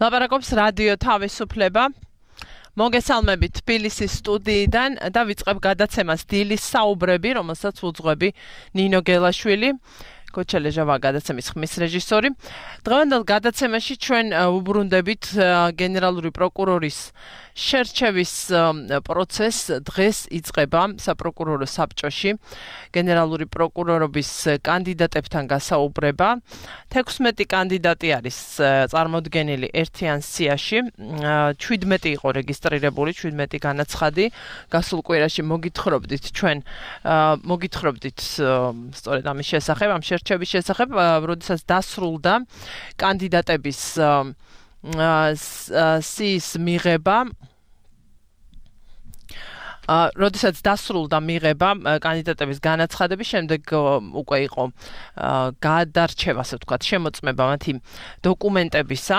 ლაპარაკობს რადიო თავისუფლება. მოგესალმებით თბილისის სტუდიიდან და ვიწყებ გადაცემას დილის საუბრები, რომელსაც უძღვები ნინო გელაშვილი. კოჩელეჟავა გადაცემის ხმის რეჟისორი. დღევანდელ გადაცემაში ჩვენ უბრუნდებით გენერალური პროკურორის შერჩევის პროცესს. დღეს იწყება საპროკურორო საბჭოში გენერალური პროკურორობის კანდიდატებთან გასაუბრება. 16 კანდიდატი არის წარმოდგენილი ერთიან სიაში. 17 იყო რეგისტრირებული, 17 განაცხადი. გასულ კვირაში მოგითხრობდით ჩვენ სწორედ ამის შესახებ, ამ შერჩევის შესახებ, როდესაც დასრულდა კანდიდატების სიის მიღება. როდესაც დასრულდა მიღება კანდიდატების განაცხადების, შემდეგ უკვე იყო გადარჩევა, ასე ვთქვათ, შემოწმება მათი დოკუმენტებისა,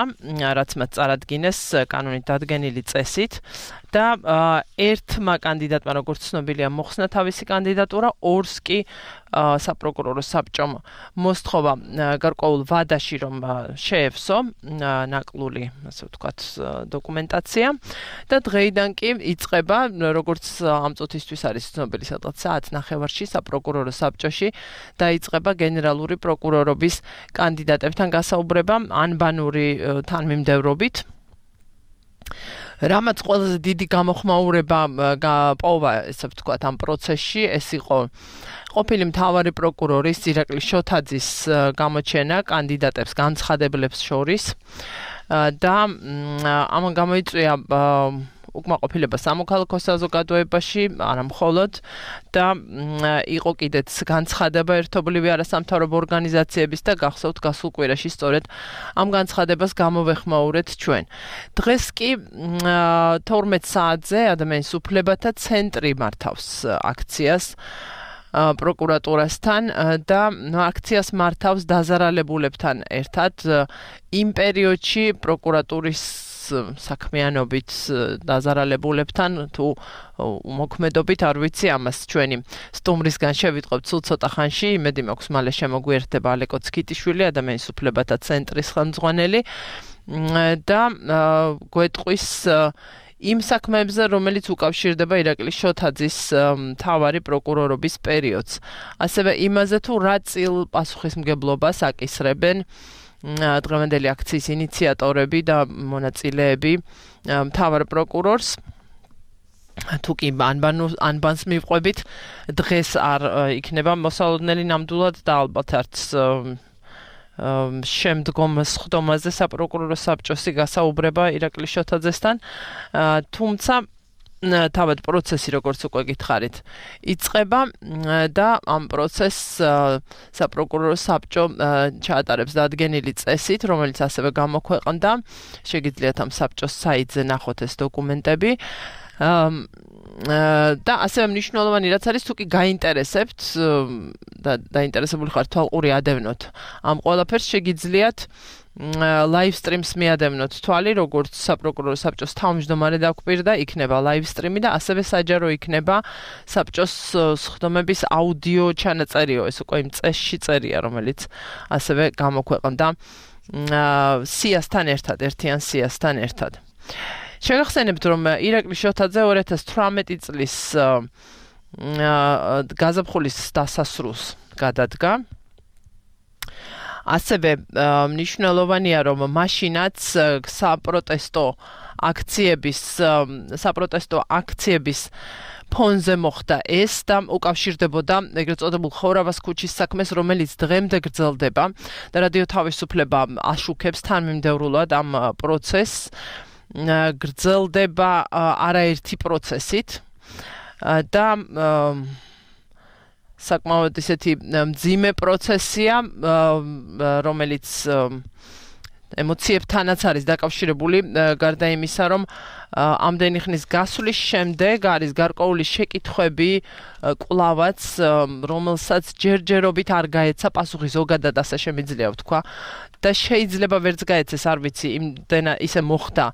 რაც მათ წარადგინეს კანონით დადგენილი წესით. და ერთმა კანდიდატმა, როგორც ცნობილია, მოხსნა თავისი კანდიდატურა, ორს კი საპროკურორო საბჭომ მოსთხოვა გარკვეულ ვადაში, რომ შეეվსო ნაკლული, ასე ვთქვათ, დოკუმენტაცია და დღეიდან კი იწყება, როგორც ამ წუთისთვის არის ცნობილი, სადღაც საათ ნახევარში საპროკურორო საბჭოში დაიწყება გენერალური პროკურორობის კანდიდატებთან გასაუბრება ანბანური თანმიმდევრობით. რამაც ყველაზე დიდი გამოხმაურება პოვა, ესე ვთქვათ, ამ პროცესში, ეს იყო ყოფილი მთავარი პროკურორის ირაკლი შოთაძის გამოჩენა კანდიდატებს განცხადებლებს შორის და ამან გამოიწვია უკმაყოფილება სამოქალაქო საზოგადოებაში, არა მხოლოდ და იყო კიდეც განცხადება ერთობლივი არასამთავრობო ორგანიზაციების და გახსოვთ გასულ კვირაში სწორედ ამ განცხადებას გამოვეხმაურეთ ჩვენ. დღეს კი 12 საათზე ადამიანის უფლებათა ცენტრი მართავს აქციას პროკურატურასთან და აქციას მართავს დაზარალებულებთან ერთად. იმ პერიოდში პროკურატურის საქმიანობით დაზარალებულებთან თუ უმოქმედობით, არ ვიცი, ამას ჩვენი სტუმრისგან შევიტყობთ სულ ცოტა ხანში. იმედი მაქვს, მალე შემოგვიერთდება ალეკო ცქიტიშვილი, ადამიანის უფლებათა ცენტრის ხელმძღვანელი და გვეტყვის იმ საქმეებზე, რომელიც უკავშირდება ირაკლი შოთაძის მთავარი პროკურორობის პერიოდს. ასევე იმაზე, თუ რა წილ პასუხისმგებლობას აკისრებენ დღევანდელი აქციის ინიციატორები და მონაწილეები მთავარ პროკურორს. თუ კი ანბანს მივყვებით, დღეს არ იქნება მოსალოდნელი ნამდვილად და ალბათ არც შემდგომ სხდომაზე საპროკურორო საბჭოსი გასაუბრება ირაკლი შოთაძესთან. თუმცა თავად პროცესი, როგორც უკვე გითხარით, იწყება და ამ პროცესს საპროკურორო საბჭო ჩაატარებს დადგენილი წესით, რომელიც ასევე გამოქვეყნდა. შეგიძლიათ ამ საბჭოს საიტზე ნახოთ ეს დოკუმენტები. და ასევე მნიშვნელოვანი რაც არის, თუ კი გაინტერესებთ და დაინტერესებული ხართ თვალყური ადევნოთ ამ ყველაფერს, შეგიძლიათ live streams მიადევნოთ თვალი, როგორც საპროკურორო საბჭოს თავმჯდომარე დაგვპირდა, იქნება live stream-ი და ასევე საჯარო იქნება საბჭოს სხდომების აუდიო ჩანაწერიო, ეს უკვე იმ წესში წერია, რომელიც ასევე გამოქვეყნდა სიასთან ერთად, ერთიან სიასთან ერთად. შეგახსენებთ, რომ ირაკლი შოთაძე 2018 წლის გაზაფხულის დასასრულს გადადგა. ასევე მნიშვნელოვანია, რომ მაშინაც საპროტესტო აქციების ფონზე მოხდა ეს და უკავშირდებოდა ეგრეთ წოდებულ ხოვრავას ქუჩის საქმეს, რომელიც დღემდე გრძელდება და რადიო თავისუფლება აშუქებს თანმიმდევრულად ამ პროცესს. გრძელდება არაერთი პროცესით და საკმაოდ ისეთი მძიმე პროცესია, რომელიც ემოციებთანაც არის დაკავშირებული, გარდა იმისა, რომ ამდენი ხნის გასვლის შემდეგ არის გარკვეული შეკითხვები კვლავაც, რომელსაც ჯერჯერობით არ გაეცა პასუხი, ზოგადად ასე შემიძლია ვთქვა და შეიძლება ვერც გაეცეს, არ ვიცი, ისე მოხდა,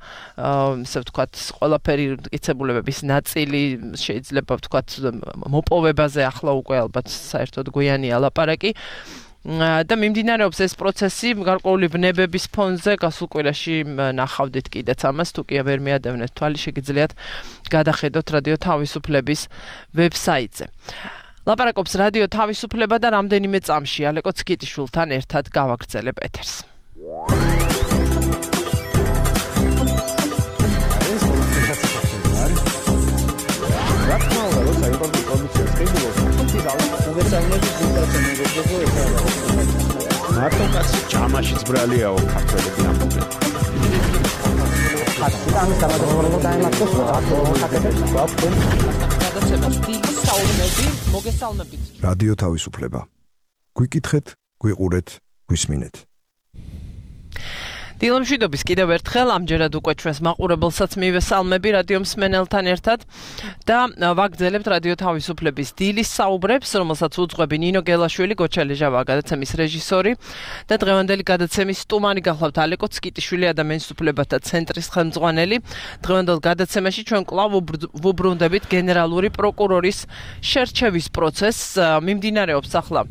ისე ვთქვათ, ყველაფერი მტკიცებულებების ნაწილი, შეიძლება ვთქვათ, მოპოვებაზე ახლა უკვე ალბათ საერთოდ გვიანია ლაპარაკი. და მიმდინარეობს ეს პროცესი გარკვეული ვნებების ფონზე გასულ კვირაში ნახავდით კიდეც ამას თუ კი ვერ მიადევნეთ თვალი შეგიძლიათ გადახედოთ რადიო თავისუფლების ვებსაიტზე. ლაპარაკობს რადიო თავისუფლება და რამდენიმე წამში ალეკო ცკიტიშვილთან ერთად გავაგრძელებ ეთერს. მარტო კაცი ჯამაშიც ბრალიაო ქართველები ამბობენ. ამის გამარჯვება დაემართოს აკეთებს გვაქვს. გადაცემას დიდი საუბნები მოგესალმებით. რადიო თავისუფლება. გვიკითხეთ, გვიყურეთ, გვისმინეთ. დილამშვიდობის კიდევ ერთხელ ამჯერად უკვე ჩვენს მაყურებელსაც მივესალმები რადიო მსმენელთან ერთად და ვაგრძელებთ რადიო თავისუფლების დილის საუბრებს, რომელსაც უძღვები ნინო გელაშვილი, გოჩალეჟავა გადაცემის რეჟისორი და დღევანდელი გადაცემის სტუმარი გახლავთ ალეკო ცკიტიშვილი, ადამიანის უფლებათა ცენტრის ხელმძღვანელი. დღევანდელ გადაცემაში ჩვენ კვლავ ვუბრუნდებით გენერალური პროკურორის შერჩევის პროცესს. მიმდინარეობს ახლა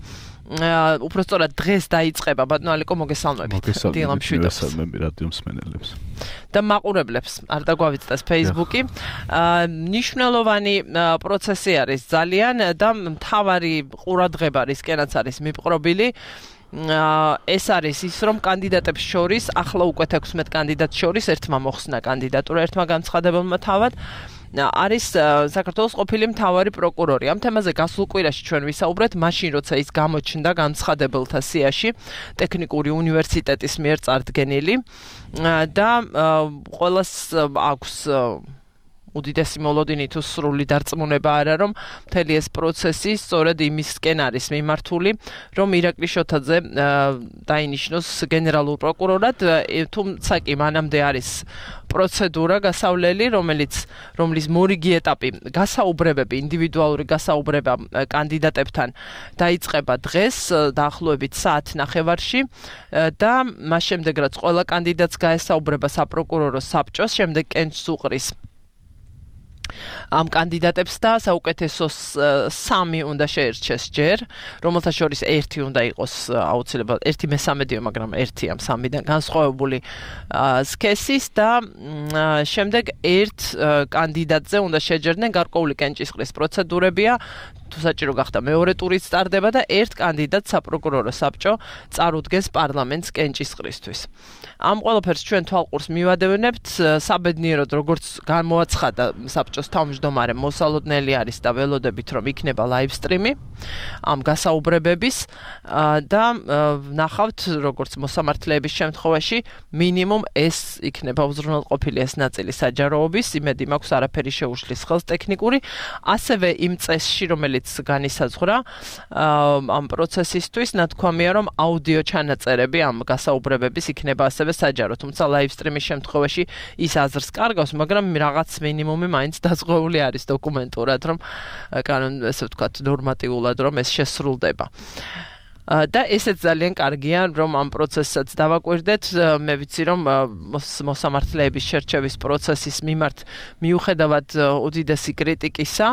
უпростоრად დღეს დაიწყება ბატონო ალეკო მოგესალმებით. მოგესალმები რადიო მსმენელებს და მაყურებლებს არ დაგვავიწყდეს Facebook-ი. ნიშნულოვანი პროცესი არის ძალიან და მთავარი ყურადღება რისკენაც არის მიპყრობილი. ეს არის ის რომ კანდიდატებს შორის ახლა უკვე 16 კანდიდატს შორის ერთმა მოხსნა კანდიდატურა ერთმა განცხადებელმა თავად არის საქართველოს ყოფილი მთავარი პროკურორი. ამ თემაზე გასულ კვირაში ჩვენ ვისაუბრეთ, მაშინ როცა ის გამოჩნდა განცხადებელთა სიაში, ტექნიკური უნივერსიტეტის მიერ წარდგენილი და ყველას აქვს უდიდესი მოლოდინი თუ სრული დარწმუნება არა რომ მთელი ეს პროცესი სწორედ იმისკენ არის მიმართული, რომ ირაკლი შოთაძე დაინიშნოს გენერალურ პროკურორად, თუმცა კი მანამდე არის პროცედურა გასავლელი, რომლის მორიგი ეტაპი გასაუბრებები, ინდივიდუალური გასაუბრება კანდიდატებთან დაიწყება დღეს, დაახლოებით საათ ნახევარში და მას შემდეგ რაც ყველა კანდიდატს გაესაუბრება საპროკურორო საბჭოს, შემდეგ კენჭს უყრის ამ კანდიდატებს და საუკეთესოს 3 უნდა შეერჩეს ჯერ, რომელთა შორის ერთი უნდა იყოს აუცილებლად 1/3, მაგრამ ერთი ამ 3-დან განსხვავებული სქესის და შემდეგ ერთ კანდიდატზე უნდა შეჯერდნენ გარკვეული კენჭისყრის პროცედურებია, თუ საჭირო გახდა მეორე ტურიც სტარდება და ერთ კანდიდატს საპროკურორო საბჭო წარუდგენს პარლამენტს კენჭისყრისთვის. ამ ყველაფერს ჩვენ თვალყურს მივადევნებთ, საბედნიეროდ როგორც გამოაცხადა საბჭოს თავმჯდომარე მოსალოდნელი არის და ველოდებით რომ იქნება ლაივ სტრიმი ამ გასაუბრებების და ნახავთ როგორც მოსამართლეების შემთხვევაში მინიმუმ ეს იქნება უზრუნველყოფილი ეს ნაწილი საჯაროობის, იმედი მაქვს არაფერი შეუშლის ხელს ტექნიკური, ასევე იმ წესში რომელიც განისაზღვრა ამ პროცესისთვის, ნათქვამია რომ აუდიო ჩანაწერები ამ გასაუბრებების იქნება ასევე საჯარო, თუმცა ლაივ სტრიმის შემთხვევაში ის აზრს კარგავს, მაგრამ რაღაც მინიმუმი მაინც დაზღვეული არის დოკუმენტურად, რომ ესე ვთქვათ ნორმატიულად რომ ეს შესრულდება. და ესეც ძალიან კარგია, რომ ამ პროცესსაც დავაკვირდეთ. მე ვიცი, რომ მოსამართლეების შერჩევის პროცესის მიმართ მიუხედავად უდიდესი კრიტიკისა,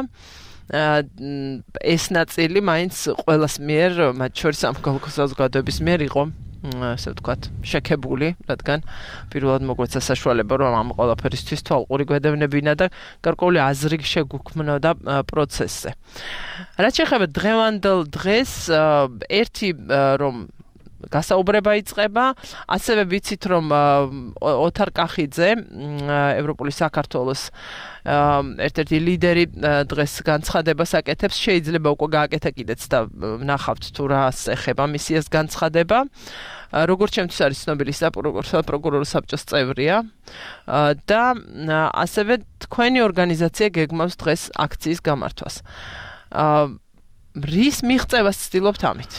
ეს ნაწილი მაინც ყველას მიერ, მათ შორის ამ საზოგადოების მიერ იყო ესე ვთქვათ, შექებული, რადგან პირველად მოგვეცა საშუალება, რომ ამ ყველაფერისთვის თვალყური გვედევნებინა და გარკვეული აზრი შეგვქმნოდა პროცესზე. რაც შეეხება დღევანდელ დღეს, ერთი რომ გასაუბრება იწყება, ასევე ვიცით რომ ოთარ კახიძე, ევროპული საქართველოს ერთ-ერთი ლიდერი დღეს განცხადებას აკეთებს, შეიძლება უკვე გააკეთა კიდეც და ნახავთ თუ რას ეხება მისი ეს განცხადება. როგორც ჩემთვის არის ცნობილი საპროკურორო საბჭოს წევრია და ასევე თქვენი ორგანიზაცია გეგმავს დღეს აქციის გამართვას. რის მიღწევას ცდილობთ ამით?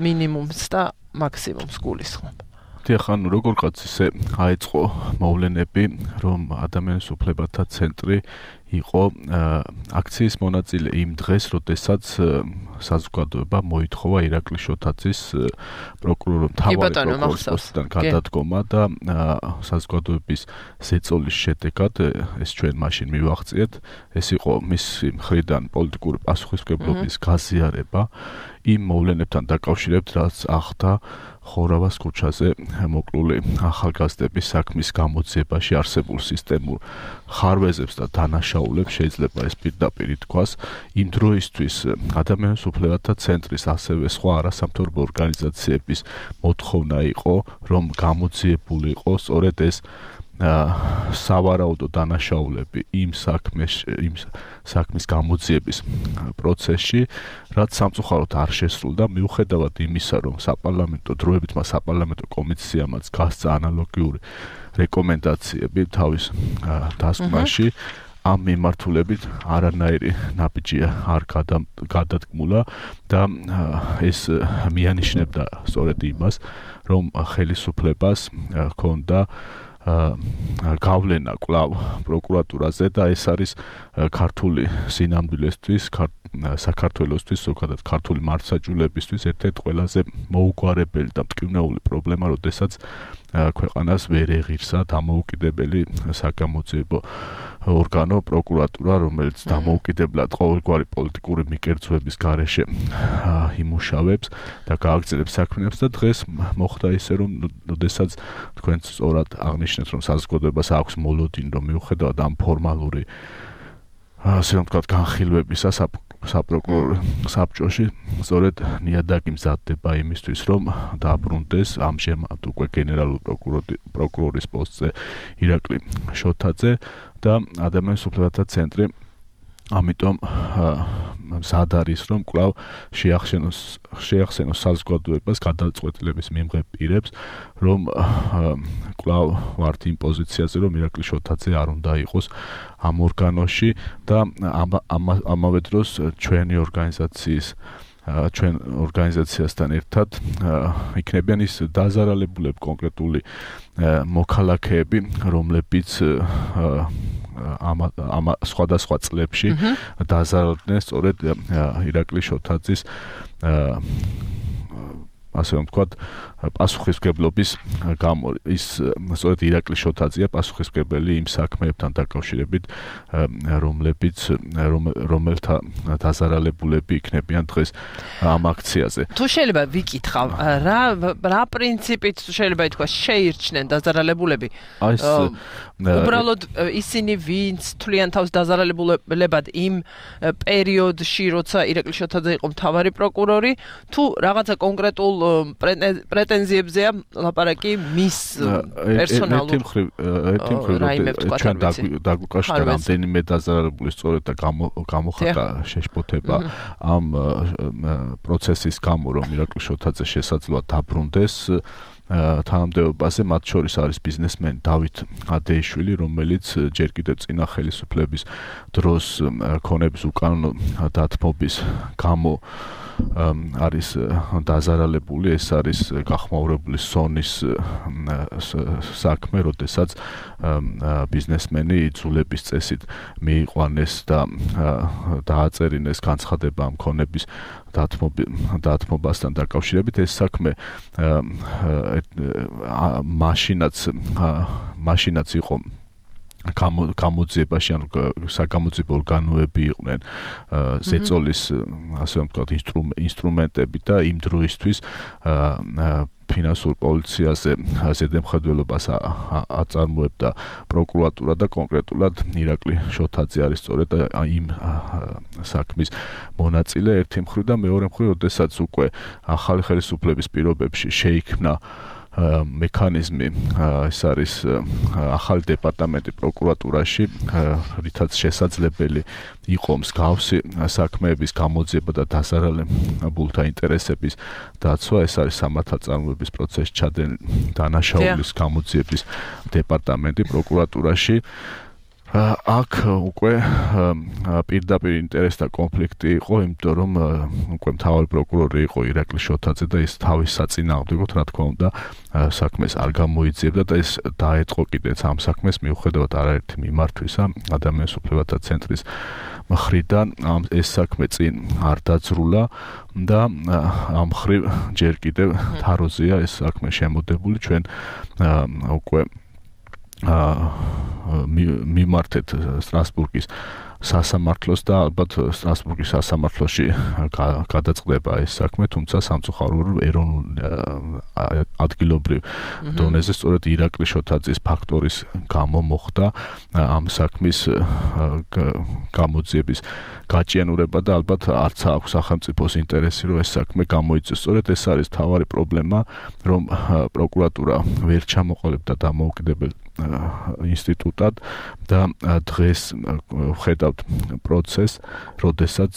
მინიმუმს და მაქსიმუმს გულისხმობ. ხან როგორ კაც ისე აეწყო მოვლენები, რომ ადამიანის უფლებათა ცენტრი იყო აქციის მონაწილე იმ დღეს, როდესაც საზოგადოება მოითხოვა ირაკლი შოთაძის პროკურორო მთავარი პროკურორის პოსტიდან გადადგომა და საზოგადოების ზეწოლის შედეგად ეს ჩვენ მაშინ მივაღწიეთ, ეს იყო მისი მხრიდან პოლიტიკური პასუხისმგებლობის გაზიარება იმ მოვლენებთან დაკავშირებით, რაც ახდა ხორავას ქუჩაზე მოკლული ახალგაზრდების საქმის გამოძიებაში არსებულ სისტემურ ხარვეზებს და დანაშაულებს შეიძლება ეს პირდაპირ ითქვას. იმ დროისთვის ადამიანის უფლებათა ცენტრის ასევე სხვა არასამთავრობო ორგანიზაციების მოთხოვნა იყო, რომ გამოძიებულიყო სწორედ ეს სავარაუდო დანაშაულები იმ საქმის გამოძიების პროცესში, რაც სამწუხაროდ არ შესრულდა, მიუხედავად იმისა, რომ საპარლამენტო კომისიამაც გასცა ანალოგიური რეკომენდაციები თავის დასკვნაში, ამ მიმართულებით არანაირი ნაბიჯია არ გადადგმულა და ეს მიანიშნებდა სწორედ იმას, რომ ხელისუფლებას ჰქონდა გავლენა კვლავ პროკურატურაზე და ეს არის ქართული სინამდვილესთვის, საქართველოსთვის, ზოგადად ქართული მართლმსაჯულებისთვის ერთ-ერთი ყველაზე მოუგვარებელი და მტკივნეული პრობლემა, როდესაც ქვეყანას ვერ ეღირსა დამოუკიდებელი საგამოძიებო ორგანო პროკურატურა, რომელიც დამოუკიდებლად ყოველგვარი პოლიტიკური მიკერძოების გარეშე იმუშავებს და გააგრძელებს საქმიანობას და დღეს მოხდა ისე, რომ როდესაც თქვენც სწორად აღნიშნეთ, რომ საზოგადოებას აქვს მოლოდინი, რომ მიუხედავად ამ ფორმალური ასე რომ ვთქვათ განხილვებისა საპროკურორო საბჭოში სწორედ ნიადაგი მზადდება იმისთვის, რომ დაბრუნდეს ამჟამად უკვე გენერალური პროკურორის პოსტზე ირაკლი შოთაძე და ადამიანის უფლებათა ცენტრი ამიტომ მზად არის, რომ კვლავ შეახსენოს საზოგადოებას გადაწყვეტილების მიმღებ პირებს, რომ კვლავ ვართ იმ პოზიციაზე, რომ ირაკლი შოთაძე არ უნდა იყოს ამ ორგანოში და ამავე დროს ჩვენ ორგანიზაციასთან ერთად იქნებიან ის დაზარალებულები კონკრეტული მოქალაქეები, რომლებიც ამ სხვადასხვა წლებში დაზარალდნენ სწორედ ირაკლი შოთაძის ასე რომ ვთქვათ, პასუხისმგებლობის გამო ის სწორედ ირაკლი შოთაძეა პასუხისმგებელი იმ საქმეებთან დაკავშირებით, რომელთა დაზარალებულები იქნებიან დღეს ამ აქციაზე. თუ შეიძლება ვიკითხავ, რა პრინციპით შეიძლება ითქვას შეირჩნენ დაზარალებულები? უბრალოდ ისინი ვინც თვლიან თავს დაზარალებულებად იმ პერიოდში, როცა ირაკლი შოთაძე იყო მთავარი პროკურორი, თუ რაღაცა კონკრეტულ პრეტენზიებზეა ლაპარაკი მის პერსონალურ ერთი მხრივ ჩვენ დაგვიკავშირდა რამდენიმე დაზარალებული სწორედ და გამოხატა შეშფოთება ამ პროცესის გამო, რომ ირაკლი შოთაძე შესაძლოა დაბრუნდეს თანამდებობაზე, მათ შორის არის ბიზნესმენი დავით ადეიშვილი, რომელიც ჯერ კიდევ წინა ხელისუფლების დროს ქონების უკანონო დათმობის გამო არის დაზარალებული, ეს არის გახმაურებული სონის საქმე, როდესაც ბიზნესმენი იძულების წესით მიიყვანეს და დააწერინეს განცხადება ამ ქონების დათმობასთან დაკავშირებით. ეს საქმე მაშინაც იყო გამოძიებაში, ანუ საგამოძიებო ორგანოები იყვნენ ზეწოლის, ასე რომ ვთქვათ, ინსტრუმენტები და იმ დროისთვის ფინანსურ პოლიციაზე ზედამხედველობას აწარმოებდა პროკურატურა და კონკრეტულად ირაკლი შოთაძე არის სწორედ იმ საქმის მონაწილე ერთი მხრივ და მეორე მხრივ, როდესაც უკვე ახალი ხელისუფლების პირობებში შეიქმნა მექანიზმი, ეს არის ახალი დეპარტამენტი პროკურატურაში, რითაც შესაძლებელი იყო მსგავსი საქმეების გამოძიება და დაზარალებულთა ინტერესების დაცვა. ეს არის სამართალწარმოების პროცესში ჩადენილი დანაშაულის გამოძიების დეპარტამენტი პროკურატურაში. აქ უკვე პირდაპირ ინტერესთა კონფლიქტი იყო, იმიტომ რომ უკვე მთავარი პროკურორი იყო ირაკლი შოთაძე და ის თავის საწინააღმდეგოდ, რა თქმა უნდა, საქმეს არ გამოიძიებდა და ეს დაეწყო კიდეც ამ საქმეს, მიუხედავად არაერთი მიმართვისა ადამიანის უფლებათა ცენტრის მხრიდან ეს საქმე წინ არ დაძრულა და ამ მხრივ ჯერ კიდევ თაროზეა ეს საქმე შემოდებული. ჩვენ უკვე მიმართეთ სტრასბურგის სასამართლოს და ალბათ სტრასბურგის სასამართლოში გადაწყდება ეს საქმე, თუმცა სამწუხაროდ ეროვნულ ადგილობრივ დონეზე სწორედ ირაკლი შოთაძის ფაქტორის გამო მოხდა ამ საქმის გამოძიების გაჭიანურება და ალბათ არც აქვს სახელმწიფოს ინტერესი, რომ ეს საქმე გამოიწვიოს. სწორედ ეს არის მთავარი პრობლემა, რომ პროკურატურა ვერ ჩამოყალიბდა დამოუკიდებელ ინსტიტუტად და დღეს ვხედავთ პროცესს, როდესაც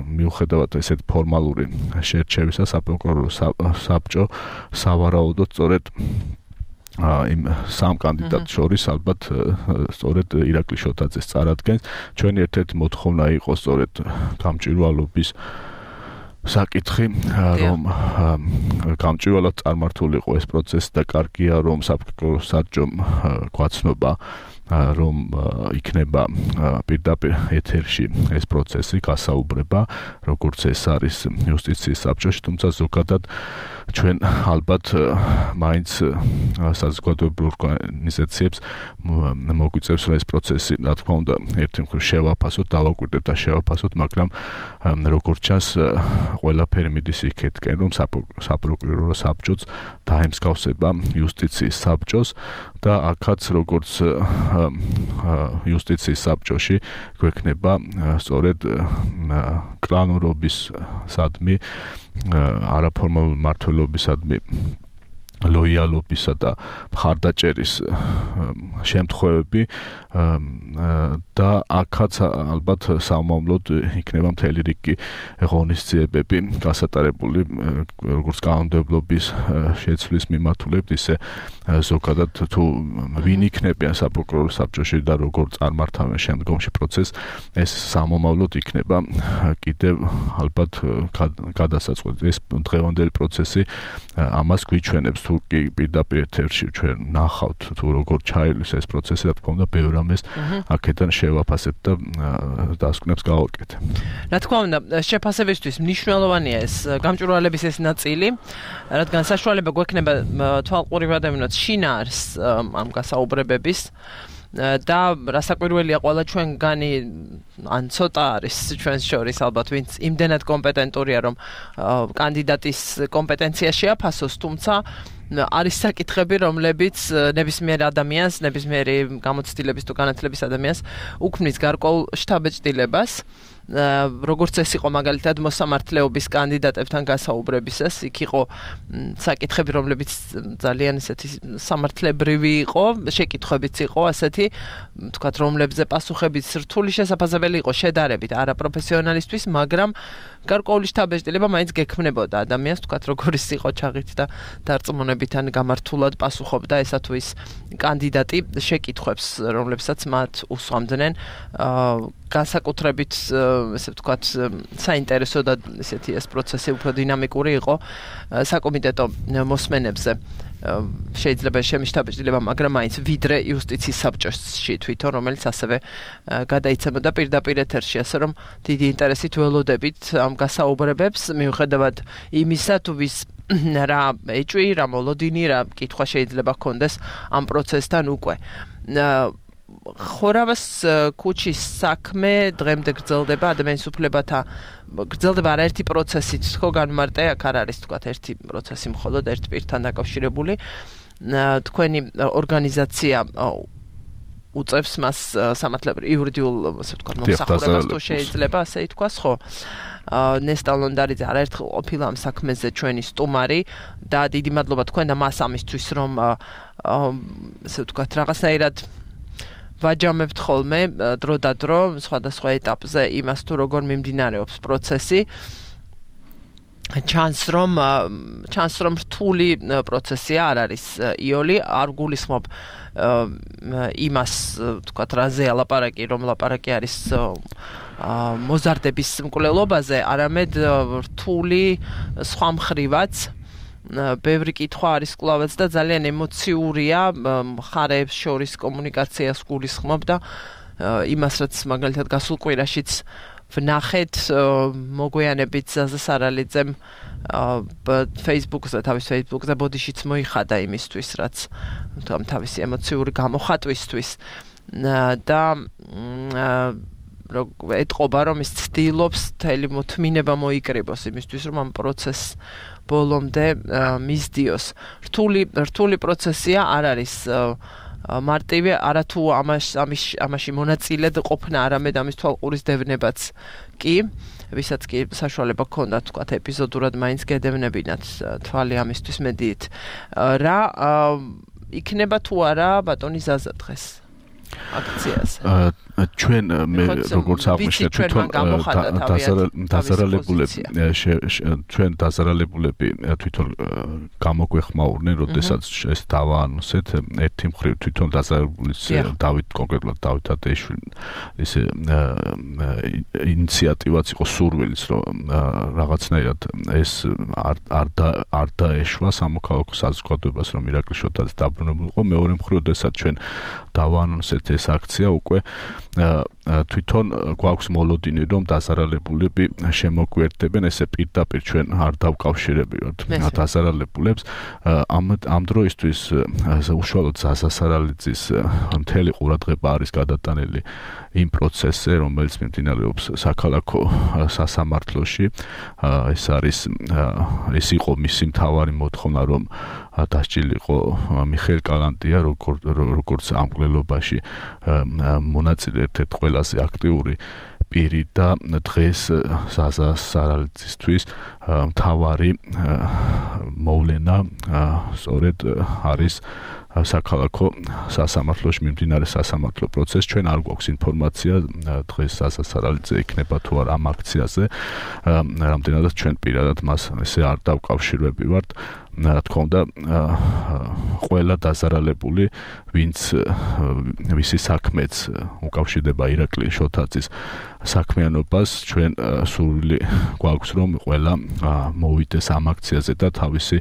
მიუხედავად ესეთ ფორმალური შერჩევისა საპროკურორო საბჭო სავარაუდოდ სწორედ იმ სამ კანდიდატს შორის ალბათ სწორედ ირაკლი შოთაძეს წარადგენს. ჩვენი ერთ-ერთი მოთხოვნა იყო სწორედ გამჭვირვალობის საკითხი, რომ გამჭვირვალად წარმართულიყო ეს პროცესი და კარგია, რომ საპროკურორო საბჭომ გვაცნობა, რომ იქნება პირდაპირ ეთერში ეს პროცესი გასაუბრება, როგორც ეს არის იუსტიციის საბჭოში, თუმცა ზოგადად ჩვენ ალბათ მაინც საზოგადოებრივ ორგანიზაციებს მოგვიწევს ეს პროცესი, რა თქმა უნდა, ერთი მხრივ შევაფასოთ, დავაკვირდეთ და შევაფასოთ, მაგრამ როგორც ჩანს, ყველაფერი მიდის იქეთკენ, რომ საპროკურორო საბჭოც დაემსგავსება იუსტიციის საბჭოს და აქაც როგორც იუსტიციის საბჭოში გვექნება სწორედ კლანურობისადმი, არაფორმალურ მმართველობისადმი ლოიალობისა და მხარდაჭერის შემთხვევები და აქაც ალბათ სამომავლოდ იქნება მთელი რიგი ღონისძიებები გასატარებული როგორც კანონმდებლობის შეცვლის მიმართულებით, ისე ზოგადად თუ ვინ იქნებიან საპროკურორო საბჭოში და როგორ წარმართავენ შემდგომში პროცესს, ეს სამომავლოდ იქნება კიდევ ალბათ გადასაწყვეტი. ეს დღევანდელი პროცესი ამას გვიჩვენებს, თუ კი პირდაპირ ეთერში ჩვენ ნახავთ თუ როგორ ჩაივლის ეს პროცესი, რა თქმა უნდა, ბევრ რამეს აქედან შევაფასებთ და დასკვნებს გავაკეთებ. რა თქმა უნდა, შეფასებისთვის მნიშვნელოვანია ეს გამჭვირვალების ეს ნაწილი, რადგან საშუალება გვექნება თვალყურივ ადამიანს შინაარს ამ გასაუბრებების და რასაკვირველია ყველა ჩვენგანი ან ცოტა არის ჩვენს შორის ალბათ ვინც იმდენად კომპეტენტურია რომ კანდიდატის კომპეტენცია შეაფასოს, თუმცა არის საკითხები, რომლებიც ნებისმიერ ადამიანს, ნებისმიერი გამოცდილების თუ განათლების ადამიანს უქმნის გარკვეულ შთაბეჭდილებას, როგორც ეს იყო მაგალითად მოსამართლეობის კანდიდატებთან გასაუბრებისას, იქ იყო საკითხები, რომლებიც ძალიან ესეთი სამართლებრივი იყო, შეკითხვებიც იყო ასეთი, თქვათ, რომლებზე პასუხებიც რთული შესაძლებელი იყო შედარებით არაპროფესიონალისთვის, მაგრამ გარკვეული შთაბეჭდილება მაინც გექმნებოდა ადამიანს, თქვათ, როგორიც იყო ჩაღით და დარწმუნებით ან გამართულად პასუხობდა ესა თუ ის კანდიდატი შეკითხვებს, რომლებსაც მათ უსვამდნენ, განსაკუთრებით ესე ვთქვათ, საინტერესო და ესეთი ეს პროცესი უფრო დინამიკური იყო საკომიტეტო მოსმენებზე. შეიძლება შემიშტაბეჭდილება, მაგრამ მაინც ვიდრე იუსტიციის საბჭოში თვითონ, რომელიც ასევე გადაიცემოდა პირდაპირ ეთერში, ასე რომ დიდი ინტერესით ველოდებით ამ გასაუბრებებს, მიუხედავად იმისა, თუ ვის რა ეჭვი, რა მოლოდინი, რა კითხვა შეიძლება ჰქონდეს ამ პროცესთან უკვე. ხორავას ქუჩის საქმე დღემდე გრძელდება, ადამიანის უფლებათა გრძელდება არაერთი პროცესით, ხო განმარტე, აქ არ არის თქვათ ერთი პროცესი მხოლოდ ერთ პირთან დაკავშირებული. თქვენი ორგანიზაცია უწევს მას სამართლებრივ იურიდიულ, ასე ვთქვათ, მომსახურებას თუ შეიძლება ასე ითქვას, ხო? ნესტა ლონდარიძე არაერთხელ ყოფილა ამ საქმეზე ჩვენი სტუმარი და დიდი მადლობა თქვენ და მას ამისთვის, რომ ასე ვთქვათ, რაღაცნაირად ვაჯამებთ ხოლმე დრო და დრო სხვადასხვა ეტაპზე იმას თუ როგორ მიმდინარეობს პროცესი. ჩანს რომ რთული პროცესია არ არის იოლი, არ გულისხმობ იმას, თქვათ, რაზეა ლაპარაკი, რომ ლაპარაკი არის მოზარდების მკვლელობაზე, არამედ რთული სხვა მხრივაც ბევრი კითხვა არის კლავაც და ძალიან ემოციურია, მხარეებს შორის კომუნიკაციას გულისხმობ და იმას, რაც მაგალითად გასულ კვირაშიც ვნახეთ მოგვიანებით ზაზა სარალიძემ Facebook-ზე თავის Facebook-ზე ბოდიშიც მოიხადა იმისთვის, რაც თავისი ემოციური გამოხატვისთვის და ეთყობა რომ ის ცდილობს თელი მოთმინება მოიკრიბოს იმისთვის რომ ამ პროცესს ბოლომდე მისდიოს. რთული პროცესია არ არის მარტივი არათუ ამაში მონაწილედ ყოფნა არამედ ამის თვალყურის დევნებაც კი ვისაც კი საშუალება ჰქონდათ თქვათ ეპიზოდურად მაინც გედევნებინათ თვალი ამისთვის მედიით რა იქნება თუ არა ბატონი ზაზა დღეს აქციაზე ჩვენ მე როგორც აღვნიშნე თვითონ დაზარალებულები თვითონ გამოგვეხმაურნენ როდესაც ეს დავაანონსეთ ერთი მხრივ თვითონ დაზარალებულის დავით კონკრეტულად დავით ატეიშვილი ეს ინიციატივაც იყო სურვილიც რომ რაღაცნაირად ეს არ დაეშვა სამოქალაქო საზოგადოებას რომ ირაკლი შოთაძე დაბრუნებულიყო მეორე მხრივ როდესაც ჩვენ დავაანონსეთ ეს აქცია უკვე თვითონ გვაქვს მოლოდინი რომ დაზარალებულები შემოგვერდებენ ესე პირდაპირ ჩვენ არ დავკავშირებიოთ დაზარალებულებს ამ დროისთვის უშუალოდ ზაზა სარალიძის მთელი ყურადღება არის გადატანილი იმ პროცესზე რომელიც მიმდინარეობს საქალაქო სასამართლოში ეს იყო მისი მთავარი მოთხოვნა რომ დასჭილიყო მიხეილ კალანდია როგორც ამ მკვლელობაში მონაწილე ერთ-ერთი ყველაზე აქტიური პირი და დღეს ზაზა სარალიძისთვის მთავარი მოვლენა სწორედ არის საქალაქო სასამართლოში მიმდინარე სასამართლო პროცესი ჩვენ არ გვაქვს ინფორმაცია დღეს ზაზა სარალიძე იქნება თუ არა ამ აქციაზე რამდენადაც ჩვენ პირადად მას ესე არ დავკავშირები ვართ რა თქმა უნდა ყველა დაზარალებული ვისი საქმეც უკავშირდება ირაკლი შოთაძის საქმიანობას ჩვენ სურვილი გვაქვს რომ ყველა მოვიდეს ამ აქციაზე და თავისი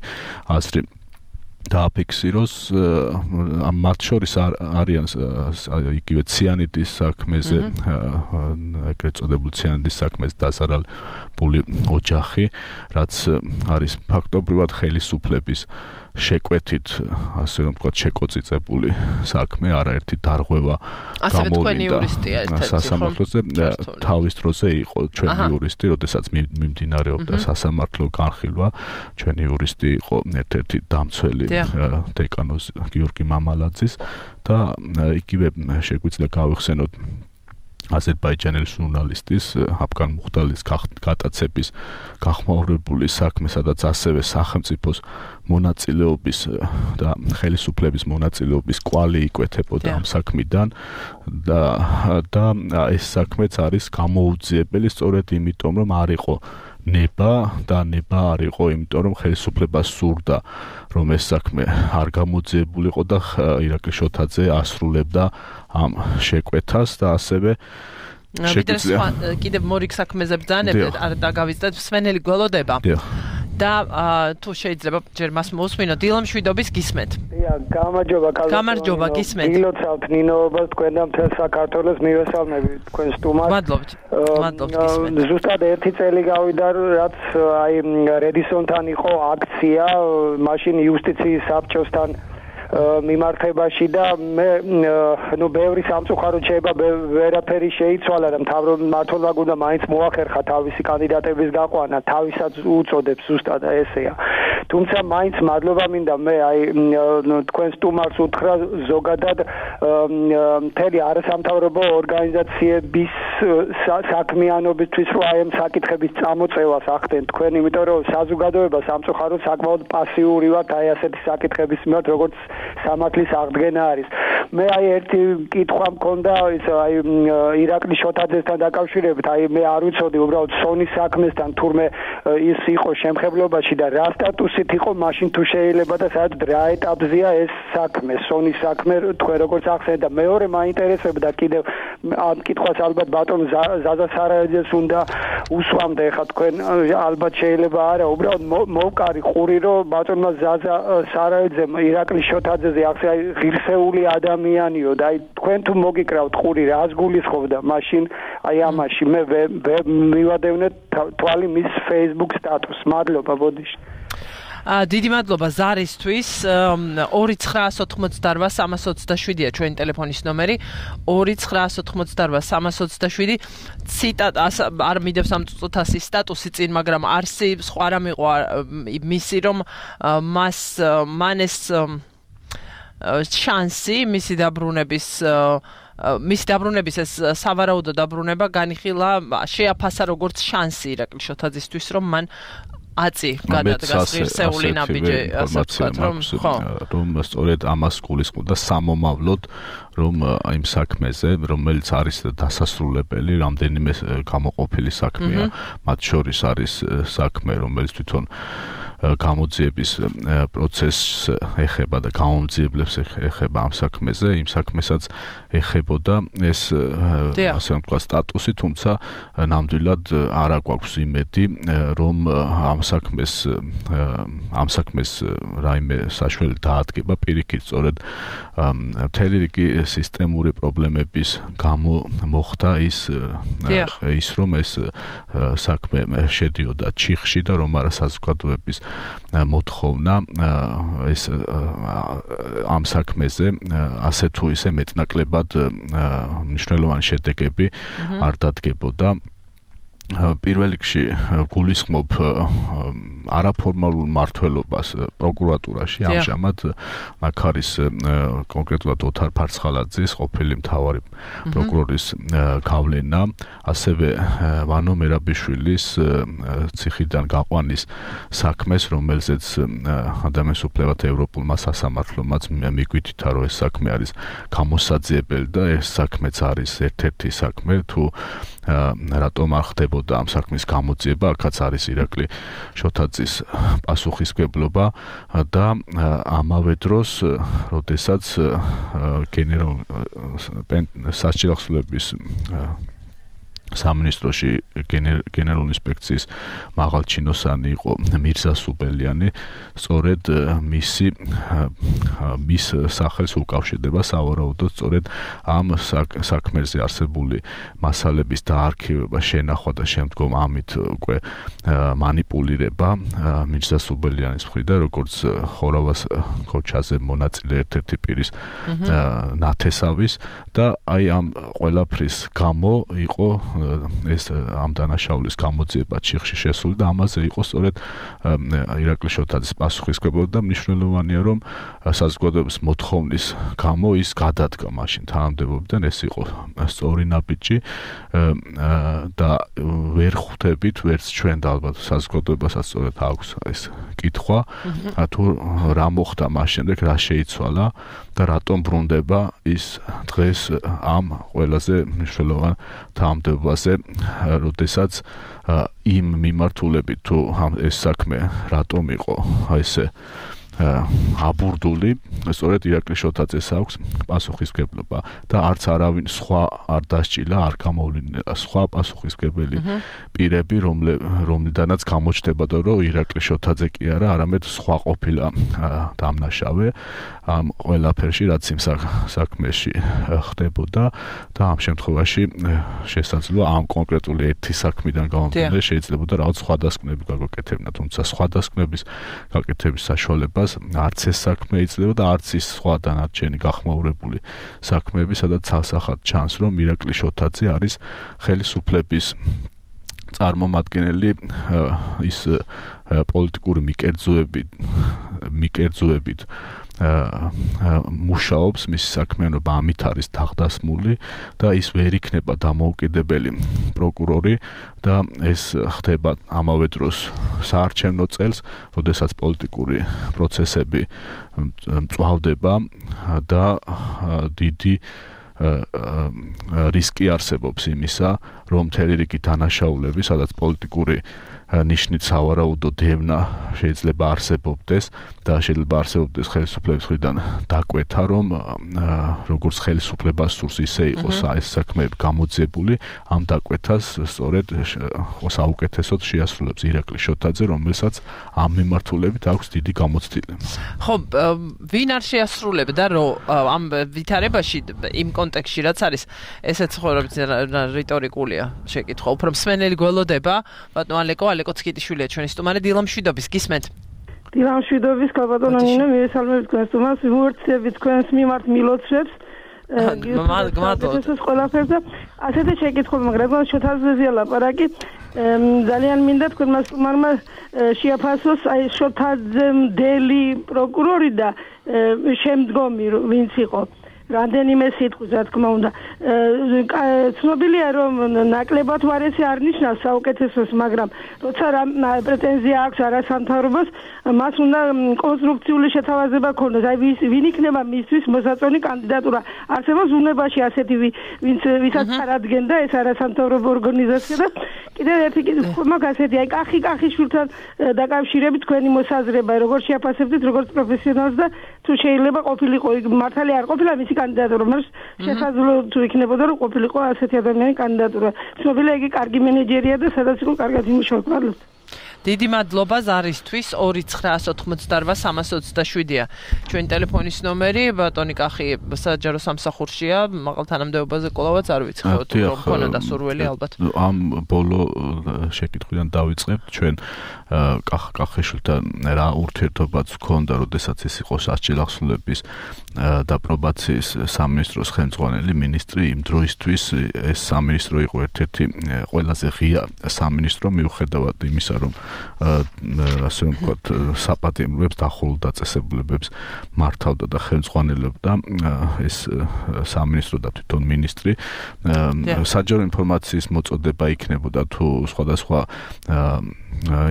აზრი დააფიქსიროს მათ შორის არიან იგივე ციანიდის საქმეზე ეგრეთ წოდებული ციანიდის საქმეზე დაზარალებული ოჯახი რაც არის ფაქტობრივად ხელისუფლების შეკვეთით ასე რომ ვთქვათ შეკოწიწებული საქმე არაერთი დარღვევა გამოვიდა სასამართლოზე თავის დროზე იყო ჩვენი იურისტი როდესაც მიმდინარეობდა სასამართლო განხილვა ჩვენი იურისტი იყო ერთ-ერთი დამცველი დეკანოს გიორგი მამალაძის და იგივე შეგვიძლია გავიხსენოთ აზერბაიჯანელი ჟურნალისტის აფგან მუხდალის გატაცების გახმაურებული საქმე, სადაც ასევე სახელმწიფოს მონაწილეობის და ხელისუფლების მონაწილეობის კვალი იკვეთებოდა ამ საქმიდან და ეს საქმეც არის გამოუძიებელი სწორედ იმიტომ, რომ არ იყო ნება არ იყო იმიტომ, რომ ხელისუფლებას სურდა, რომ ეს საქმე არ გამოძიებულიყო და ირაკლი შოთაძე ასრულებდა ამ შეკვეთას და ასევე შეგვიძლია კიდევ მორიგ საქმეზე ბრძანებდეთ, არ დაგავიწყდეთ სვენელი გველოდება. და თუ შეიძლება ჯერ მას მოусმინოთ დილამშვიდობის გისმენთ. გამარჯობა გისმენთ. დილოცავთ ნინოობას თქვენ და მთელ საქართველოს მივესალმები თქვენ სტუმარს. მადლობთ გისმენთ. ზუსტად ერთი წელი გავიდა რაც აი რედისონთან იყო აქცია, მაშინ იუსტიციის საბჭოსთან მიმართებაში და მე ბევრი სამწუხაროდ შეიძლება ვერაფერი შეიცვალა და მართლობა გუნდა მაინც მოახერხა თავისი კანდიდატების გაყვანა, თავისაც უწოდებს ზუსტად ესეა. თუმცა მაინც მადლობა მინდა მე აი თქვენ სტუმარს უთხრა ზოგადად მთელი არასამთავრობო ორგანიზაციების საქმიანობისთვის რომ აი ამ საკითხების წამოწევას ახდენ თქვენ, იმიტომ რომ საზოგადოება სამწუხაროდ საკმაოდ პასიური ვართ აი ასეთი საკითხების მიმართ, როგორც სამართლის აღდგენა არის. მე აი ერთი კითხვა მქონდა ის აი ირაკლი შოთაძესთან დაკავშირებით, აი მე არ ვიცოდი უბრალოდ სონის საქმესთან თურმე ის იყო შემხებლობაში და რა სტატუსი სტატუსით იყო, მაშინ თუ შეიძლება და საერთოდ რა ეტაპზეა ეს საქმე, სონის საქმე, თქვენ როგორც ახსენეთ და მეორე მაინტერესებდა კიდევ ამ კითხვას ალბათ ბატონ ზაზა სარაიძეს უნდა უსვამდა, ეხლა თქვენ ალბათ შეიძლება არა, უბრალოდ მოვკარი ყური, რომ ბატონმა ზაზა სარაიძემ ირაკლი შოთაძეზე ახსე ღირსეული ადამიანიო და აი თქვენ თუ მოგიკრავთ ყური რას გულისხმობდა მაშინ აი ამაში მე მივადევნეთ თვალი მის Facebook სტატუსს. მადლობა, ბოდიში. დიდი მადლობა ზარისთვის. 2988327-ია ჩვენი ტელეფონის ნომერი. 2988327. ციტატა არ მიდევს ამ წუთასი სტატუსი წინ, მაგრამ არსი სხვა რამ იყო მისი, რომ მან ეს შანსი მისი დაბრუნების ეს სავარაუდო დაბრუნება განიხილა, შეაფასა როგორც შანსი ირაკლი შოთაძისთვის, რომ მან აწი გადადგას ღირსეული ნაბიჯი, ასე ვთქვათ, რომ სწორედ ამას გულისხმობდა სამომავლოდ, რომ იმ საქმეზე, რომელიც არის დასასრულებელი, რამდენიმე გამოყოფილი საქმეა, მათ შორის არის საქმე, რომელიც თვითონ გამოძიების პროცესს ეხება და გამომძიებლებს ეხება ამ საქმეზე, იმ საქმესაც ეხებოდა ეს ასე ვთქვათ სტატუსი, თუმცა ნამდვილად არ აქვს იმედი, რომ ამ საქმეს რაიმე საშუალება დაადგება, პირიქით სწორედ მთელი რიგი სისტემური პრობლემების გამო მოხდა ის რომ ეს საქმე შედიოდა ჩიხში და რომ არა საზოგადოების მოთხოვნა ეს ამ საქმეზე ასე თუ ისე მეტნაკლებად მნიშვნელოვანი შედეგები არ დადგებოდა. პირველ რიგში გულისხმობ არაფორმალურ მმართველობას პროკურატურაში, ამჟამად აქ არის კონკრეტულად ოთარ ფარცხალაძის ყოფილი მთავარი პროკურორის გავლენა, ასევე ვანო მერაბიშვილის ციხიდან გაყვანის საქმეს, რომელზეც ადამიანის უფლებათა ევროპულმა სასამართლომაც მიგვითითა, რომ ეს საქმე არის გამოსაძიებელი და ეს საქმეც არის ერთ-ერთი საქმე, თუ რატომ არ ხდებოდა ამ საქმის გამოძიება, აქაც არის ირაკლი შოთაძის პასუხისმგებლობა და ამავე დროს, როდესაც სასჯელახსოვრების სამინისტროში გენერალური ინსპექციის მაღალჩინოსანი იყო მირზა სუბელიანი, სწორედ მის სახელს უკავშირდება სავარაუდოდ სწორედ ამ საქმეზე არსებული მასალების დაარქივება, შენახვა და შემდგომ ამით უკვე მანიპულირება მირზა სუბელიანის მხრიდან, როგორც ხორავას ქოჩაზე მონაწილე ერთ-ერთი პირის ნათესავის და აი ამ ყველაფრის გამო იყო ეს ამ დანაშაულის გამოძიება ჩიხში შესული და ამაზე იყო სწორედ ირაკლი შოთაძის პასუხისმგებლობა და მნიშვნელოვანია, რომ საზოგადოების მოთხოვნის გამო ის გადადგა მაშინ თანამდებობიდან, ეს იყო სწორი ნაბიჯი და ვერ ხვდებით, ვერც ჩვენ და ალბათ საზოგადოებასაც სწორედ აქვს ეს კითხვა, თუ რა მოხდა მას შემდეგ, რა შეიცვალა და რატომ ბრუნდება ის დღეს ამ ყველაზე მნიშვნელოვან თანამდებობაზე, როდესაც იმ მიმართულებით თუ ეს საქმე რატომ იყო ესე აბურდული, სწორედ ირაკლი შოთაძეს აქვს პასუხისმგებლობა და არც არავინ სხვა არ დასჭილა, არ გამოვლინდა სხვა პასუხისმგებელი პირები, რომლიდანაც გამოჩნდებოდა, რომ ირაკლი შოთაძე კი არა, არამედ სხვა ყოფილა დამნაშავე ამ ყველაფერში, რაც იმ საქმეში ხდებოდა და ამ შემთხვევაში შესაძლოა ამ კონკრეტული ერთი საქმიდან გამომდინარე შეიძლებოდა რაღაც სხვა დასკვნები გაგაკეთებინა, თუმცა სხვა დასკვნების გაკეთების საშუალება არც ეს საქმე იძლევა და არც ის სხვა დანარჩენი გახმაურებული საქმეები, სადაც სასახად ჩანს, რომ ირაკლი შოთაძე არის ხელისუფლების წარმომადგენელი, ის პოლიტიკური მიკერძოებით მუშაობს, მისი საქმიანობა ამით არის დაღდასმული და ის ვერ იქნება დამოუკიდებელი პროკურორი და ეს ხდება ამავე დროს საარჩევნო წელს, როდესაც პოლიტიკური პროცესები მწვავდება და დიდი რისკი არსებობს იმისა, რომ მთელი რიგი დანაშაულები, სადაც პოლიტიკური ნიშნით სავარაუდო დევნა შეიძლება არსებობდეს და შეიძლება არსებობდეს ხელისუფლების მხრიდან დაკვეთა, რომ როგორც ხელისუფლებას სურს ისე იყოს ეს საქმეები გამოძიებული, ამ დაკვეთას სწორედ საუკეთესოდ შეასრულებს ირაკლი შოთაძე, რომელსაც ამ მიმართულებით აქვს დიდი გამოცდილება. ხო, ვინ არ შეასრულებდა, რომ ამ ვითარებაში იმ კონტექსტში რაც არის, ესეც ხო რიტორიკულია შეკითხვა. უფრო მსმენელი გველოდება, ბატონო ალეკოც კიდიშვილია ჩვენი სტუმარი დილამ შვიდობის გისმენთ. დილამ შვიდობის კაბატონო ნინო, მივესალმებით თქვენს სტუმარს, ვიმორჩილებით თქვენს მიმართ მილოცვებს. გმადლობთ. ეს ყველაფერს და ასეთი შეკითხვა, მაგრამ შოთაძეზე ლაპარაკი ძალიან მინდა თქვენმა სტუმარმა შეაფასოს აი შოთაძემდელი პროკურორი და შემდგომი ვინც იყო. რამდენიმე სიტყვით, რა თქმა უნდა. ცნობილია, რომ ნაკლებად ვარესი არ ნიშნავს საუკეთესოს, მაგრამ როცა პრეტენზია აქვს არასამთავრობოს, მას უნდა კონსტრუქციული შეთავაზება ქონდეს. აი ვინ იქნება მისთვის მოსაწონი კანდიდატურა. არსებობს უნებაში ასეთი ვისაც წარადგენდა ეს არასამთავრობო ორგანიზაცია და კიდევ ერთი მაქვს ასეთი, აი კახიშვილთან დაკავშირებით თქვენი მოსაზრება, როგორ შეაფასებთ, როგორც პროფესიონალს და თუ შეიძლება ყოფილიყო მართალი არ ყოფილა მისი კანდიდატურა, მაგრამ შესაძლოა თუ იქნებოდა რომ ყოფილიყო ასეთი ადამიანი კანდიდატურა. ცნობილია იგი კარგი მენეჯერია და სადაც იყო კარგად იმუშავა. მადლობთ. დიდი მადლობა ზარისთვის 2988327-ია ჩვენი ტელეფონის ნომერი. ბატონი კახი საჯარო სამსახურშია, მაღალ თანამდებობაზე კვლავაც არ ვიცხოთ, რომ ქონოდა სურვილი ალბათ. ამ ბოლო შეკითხვიდან დავიწყებთ, ჩვენ კახიშვილთან რა ურთიერთობაც ჰქონდა, როდესაც ის იყო სასჯელახსნილების და პრობაციის სამინისტროს ხელმძღვანელი მინისტრი. იმ დროისთვის ეს სამინისტრო იყო ერთ-ერთი ყველაზე ღია სამინისტრო, მიუხედავად იმისა, რომ ასე ვთქვათ, საპატიმროებს და ახლო დაწესებულებებს მართავდა და ხელმძღვანელობდა ეს სამინისტრო და თვითონ მინისტრი. საჯარო ინფორმაციის მოწოდება იქნებოდა თუ სხვადასხვა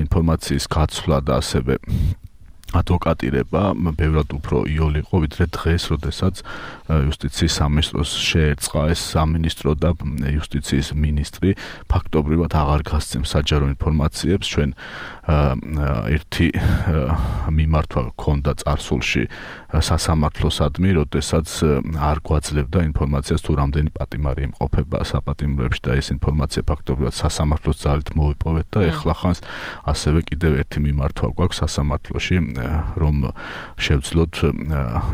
ინფორმაციის გაცვლა და ასევე ადვოკატირება ბევრად უფრო იოლი იყო ვიდრე დღეს, როდესაც იუსტიციის სამინისტროს შეერწყა ეს სამინისტრო და იუსტიციის მინისტრი ფაქტობრივად აღარ გასცემს საჯარო ინფორმაციებს. ჩვენ ერთი მიმართვა ჰქონდა წარსულში სასამართლოსადმი, როდესაც არ გვაძლევდა ინფორმაციას თუ რამდენი პატიმარი იმყოფება საპატიმროებში და ეს ინფორმაცია ფაქტობრივად სასამართლოს ძალით მოვიპოვეთ და ეხლახანს ასევე კიდევ ერთი მიმართვა გვაქვს სასამართლოში, რომ შევძლოთ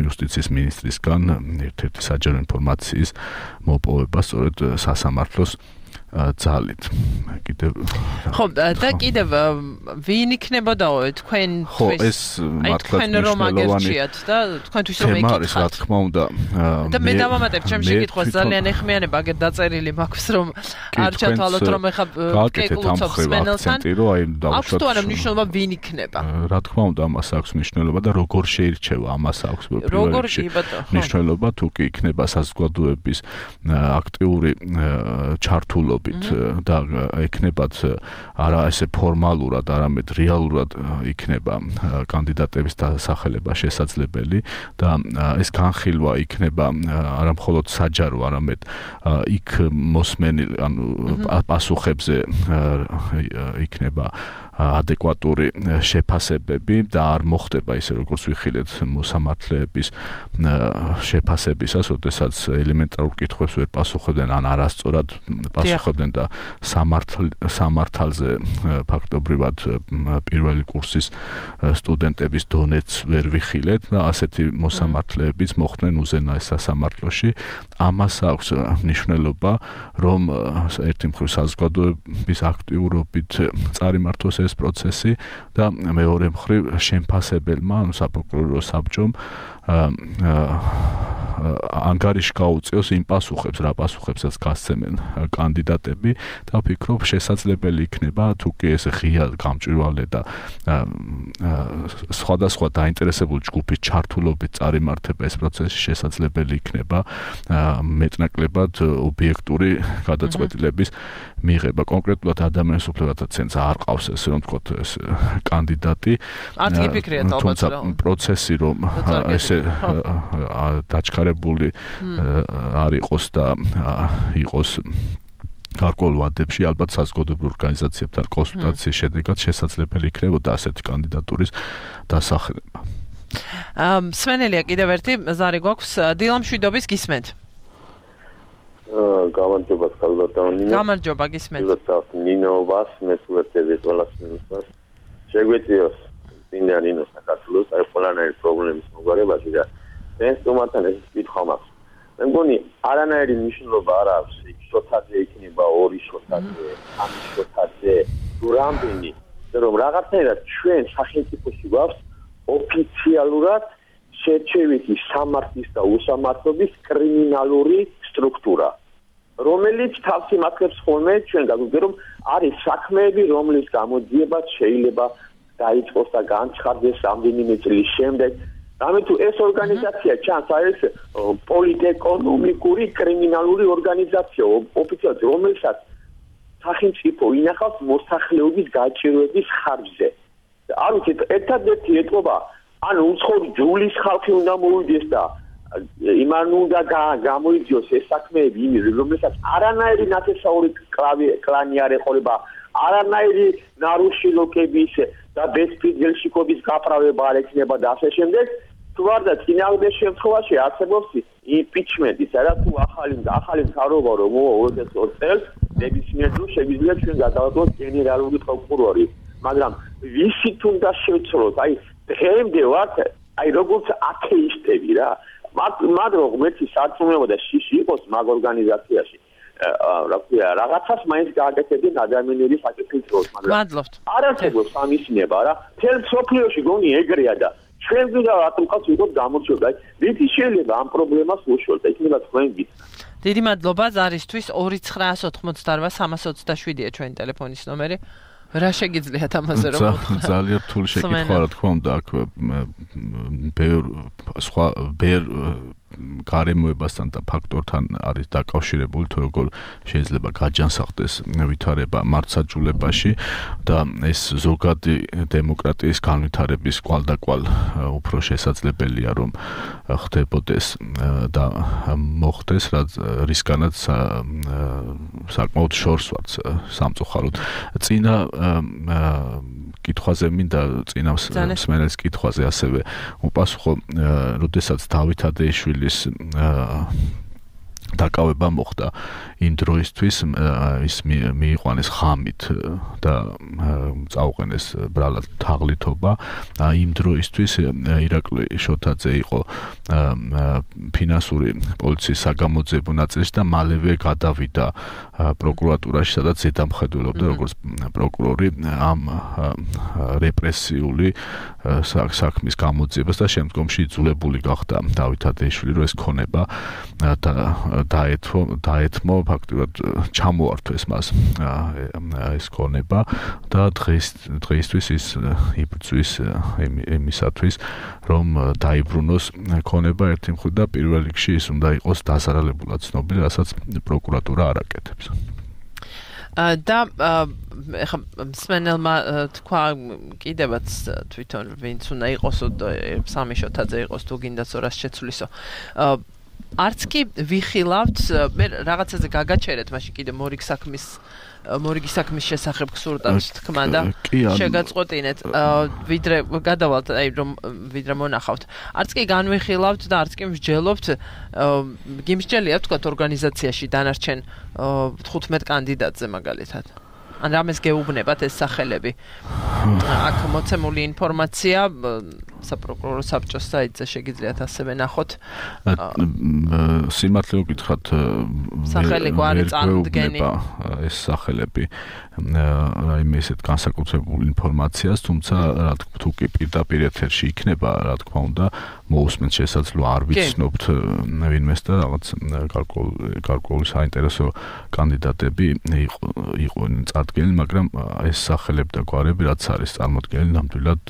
იუსტიციის მინისტრისგან ერთ-ერთი საჯარო ინფორმაციის მოპოვება სწორედ სასამართლოს ძალით. კიდევ ხო, და კიდევ ვინ იქნებოდაო თქვენ ეს მართლაც მნიშვნელოვანი და თქვენთვის რომ ეკითხათ. რა თქმა უნდა. და მე დავამატებ ჩემ შეკითხვას ძალიან ეხმიანება აგერ დაწერილი მაქვს, რომ არ ჩათვალოთ რომ ეხა კეკლუცობს მენელთან. აქვს თუ არა მნიშვნელობა ვინ იქნება? რა თქმა უნდა, ამას აქვს მნიშვნელობა და როგორ შეირჩევა, ამას აქვს მნიშვნელობა, თუ კი იქნება საზოგადოების აქტიური ჩართულობა და ექნებათ არა ესე ფორმალურად, არამედ რეალურად იქნება კანდიდატების დასახელება შესაძლებელი და ეს განხილვა იქნება არა მხოლოდ საჯარო, არამედ იქ მოსმენილი, ანუ პასუხებზე იქნება ადეკვატური შეფასებები და არ მოხდება ისე როგორც ვიხილეთ მოსამართლეების შეფასებისას, როდესაც ელემენტარულ კითხვებს ვერ პასუხობდნენ ან არასწორად პასუხობდნენ და სამართალზე ფაქტობრივად პირველი კურსის სტუდენტების დონეც ვერ ვიხილეთ და ასეთი მოსამართლეებიც მოხვდნენ უზენაეს სასამართლოში. ამას აქვს მნიშვნელობა, რომ ერთი მხრივ საზოგადოების აქტიურობით წარიმართოს ეს პროცესი და მეორე მხრივ შემფასებელმა, ანუ საპროკურორო საბჭომ ანგარიში გაუწიოს იმ პასუხებს, რა პასუხებსაც გასცემენ კანდიდატები და ვფიქრობ შესაძლებელი იქნება თუ კი ეს ღია გამჭვირვალე და სხვადასხვა დაინტერესებული ჯგუფის ჩართულობით წარიმართება ეს პროცესი შესაძლებელი იქნება მეტნაკლებად ობიექტური გადაწყვეტილების მიღება. კონკრეტულად ადამიანის უფლებათა ცენტრს არ ყავს ესე რომ ვთქვათ ეს კანდიდატი. არც კი ფიქრია ალბათ რომ პროცესი რომ ესე დაჩქარებული არ იყოს და იყოს გარკვეულ ვადებში ალბათ საზოგადოებრივ ორგანიზაციებთან კონსულტაციის შედეგად შესაძლებელი იქნებოდა ასეთი კანდიდატურის დასახელება. სვენელია კიდევ ერთი ზარი გვაქვს დილამშვიდობის გისმენთ. გამარჯობა ქალბატონო. გამარჯობა გისმენთ. ნინოვას მესურეთები ყველას მინუსას. შეგვიწიოს წინა ნინო საქართველოს აი ყველანაირი პრობლემის მოგვარებაში და ეს თუმცა ეს კითხვა მაქვს. მე მგონი არანაირი მნიშვნელობა არ აქვს შოთაძე იქნება 2 შოთაძე, 3 შოთაძე, თუ რამდენი, რომ რაღაცნაირად ჩვენ სახელმწიფოში გვაქვს ოფიციალურად შერჩევითი სამართლის და უსამართლობის კრიმინალური სტრუქტურა, რომელიც თავს იმართებს ხოლმე ჩვენ გაგვიგე რომ არის საქმეები, რომლის გამოძიება შეიძლება დაიწყოს და განცხადდეს რამდენიმე წლის შემდეგ. რამე თუ ეს ორგანიზაცია ჩანს არის პოლიტეკონომიკური კრიმინალური ორგანიზაცია ოფიციალურად რომელსაც სახელმწიფო ინახავს მოსახლეობის გაჭირვების ხარჯზე. არ ვიცით ერთადერთი ეტყობა ანუ უცხოური ჯულის ხალხი უნდა მოვიდეს და იმან უნდა გამოიძიოს ეს საქმეები იმის რომელსაც არანაირი ნათესაური კლანი არ ეყოლება არანაირი ნარუშილოკების და ბესპრედელშიკობის გაправება არ ექნება და ასე შემდეგ თუ არ და წინააღმდეგ შემთხვევაში არსებობს იმპიჩმენტი სადაც თუ ახალი მთავრობა რომ მოვა 2020 წელს ნებისმიერ დროს შეგვიძლია ჩვენ გადავატოთ გენერალური პროკურორი მაგრამ ვისით უნდა შევცვლოთ აი დღემდე ვართ აი როგორც ათეისტები რა მაგრამ ღმერთი სარწმუნოება და შიში იყოს მაგ ორგანიზაციაში რა ქვია რაღაცას მაინც გააკეთებდნენ ადამიანები საკითხის მაგრამ მადლობთ არ არსებობს ამის ნება რა თელ სოფლიოში გონი ეგრეა და ჩვენ ვიდა რატომღაც ვიყოთ გამორჩეული ვიცი შეიძლება ამ პრობლემას უშუალოდ იქნება თქვენ გიცნო დიდი მადლობა ზარისთვის 2988327-ია ჩვენი ტელეფონის ნომერი რა შეგიძლიათ ამაზე რომ ძალიან რთული შეკითხვა რა თქმა უნდა აქ ბევრ გარემოებასთან და ფაქტორთან არის დაკავშირებული თუ როგორ შეიძლება გაჯანსაღდეს ვითარება მართლმსაჯულებაში და ეს ზოგადი დემოკრატიის განვითარების კვალდაკვალ უფრო შესაძლებელია რომ ხდებოდეს და მოხდეს რისგანაც საკმაოდ შორს ვართ სამწუხაროდ წინა კითხვაზე მინდა წინა მსმენელის კითხვაზე ასევე უპასუხო როდესაც დავით ადეიშვილის დაკავება მოხდა იმ დროისთვის ის მიიყვანეს ხამით და წაუყენეს ბრალად თაღლითობა იმ დროისთვის ირაკლი შოთაძე იყო ფინანსური პოლიციის საგამოძიებო ნაწილში და მალევე გადავიდა პროკურატურაში სადაც ზედამხედველობდა როგორც პროკურორი ამ რეპრესიული საქმის გამოძიებას და შემდგომში იძულებული გახდა დავით ადეიშვილი რომ ეს ქონება დაეთმო ფაქტობრივად ჩამოართვეს მას ეს ქონება და დღეისთვის ის იბრძვის იმისათვის რომ დაიბრუნოს ქონება ერთი მხრივ და პირველ რიგში ის უნდა იყოს დასარალებულად ცნობილი რასაც პროკურატურა არ აკეთებს და ეხა მსმენელმა თქვა კიდევაც თვითონ ვინც უნდა იყოსო სამი შოთაძე იყოს თუ გინდათ ორას შეცვლისო არც კი ვიხილავთ მე რაღაცაზე გაგაჩერეთ მაშინ კიდე მორიგი საქმის შესახებ გსურდა თქმა და შეგაწყვეტინეთ ვიდრე გადავალთ აი რომ ვიდრე მონახავთ არც კი განვიხილავთ და არც კი მსჯელობთ გიმსჯელია თქვა ორგანიზაციაში დანარჩენ 15 კანდიდატზე მაგალითად ან რამეს გეუბნებათ ეს სახელები აქ მოცემული ინფორმაცია საპროკურორო საბჭოს საიტზე შეგიძლიათ ასევე ნახოთ სიმართლე გითხრათ სახელი გვარი წარმოდგენი ეს სახელები რაიმე ისეთ განსაკუთრებულ ინფორმაციას თუმცა რა თქმა თუ კი პირდაპირ ეთერში იქნება რა თქმა უნდა მოусმენთ შესაძლოა არ ვიცნობთ ვინმეს და რაღაც გარკვეული საინტერესო კანდიდატები იყვნენ წარდგენილი მაგრამ ეს სახელები და გვარები რაც არის წარმოდგენილი ნამდვილად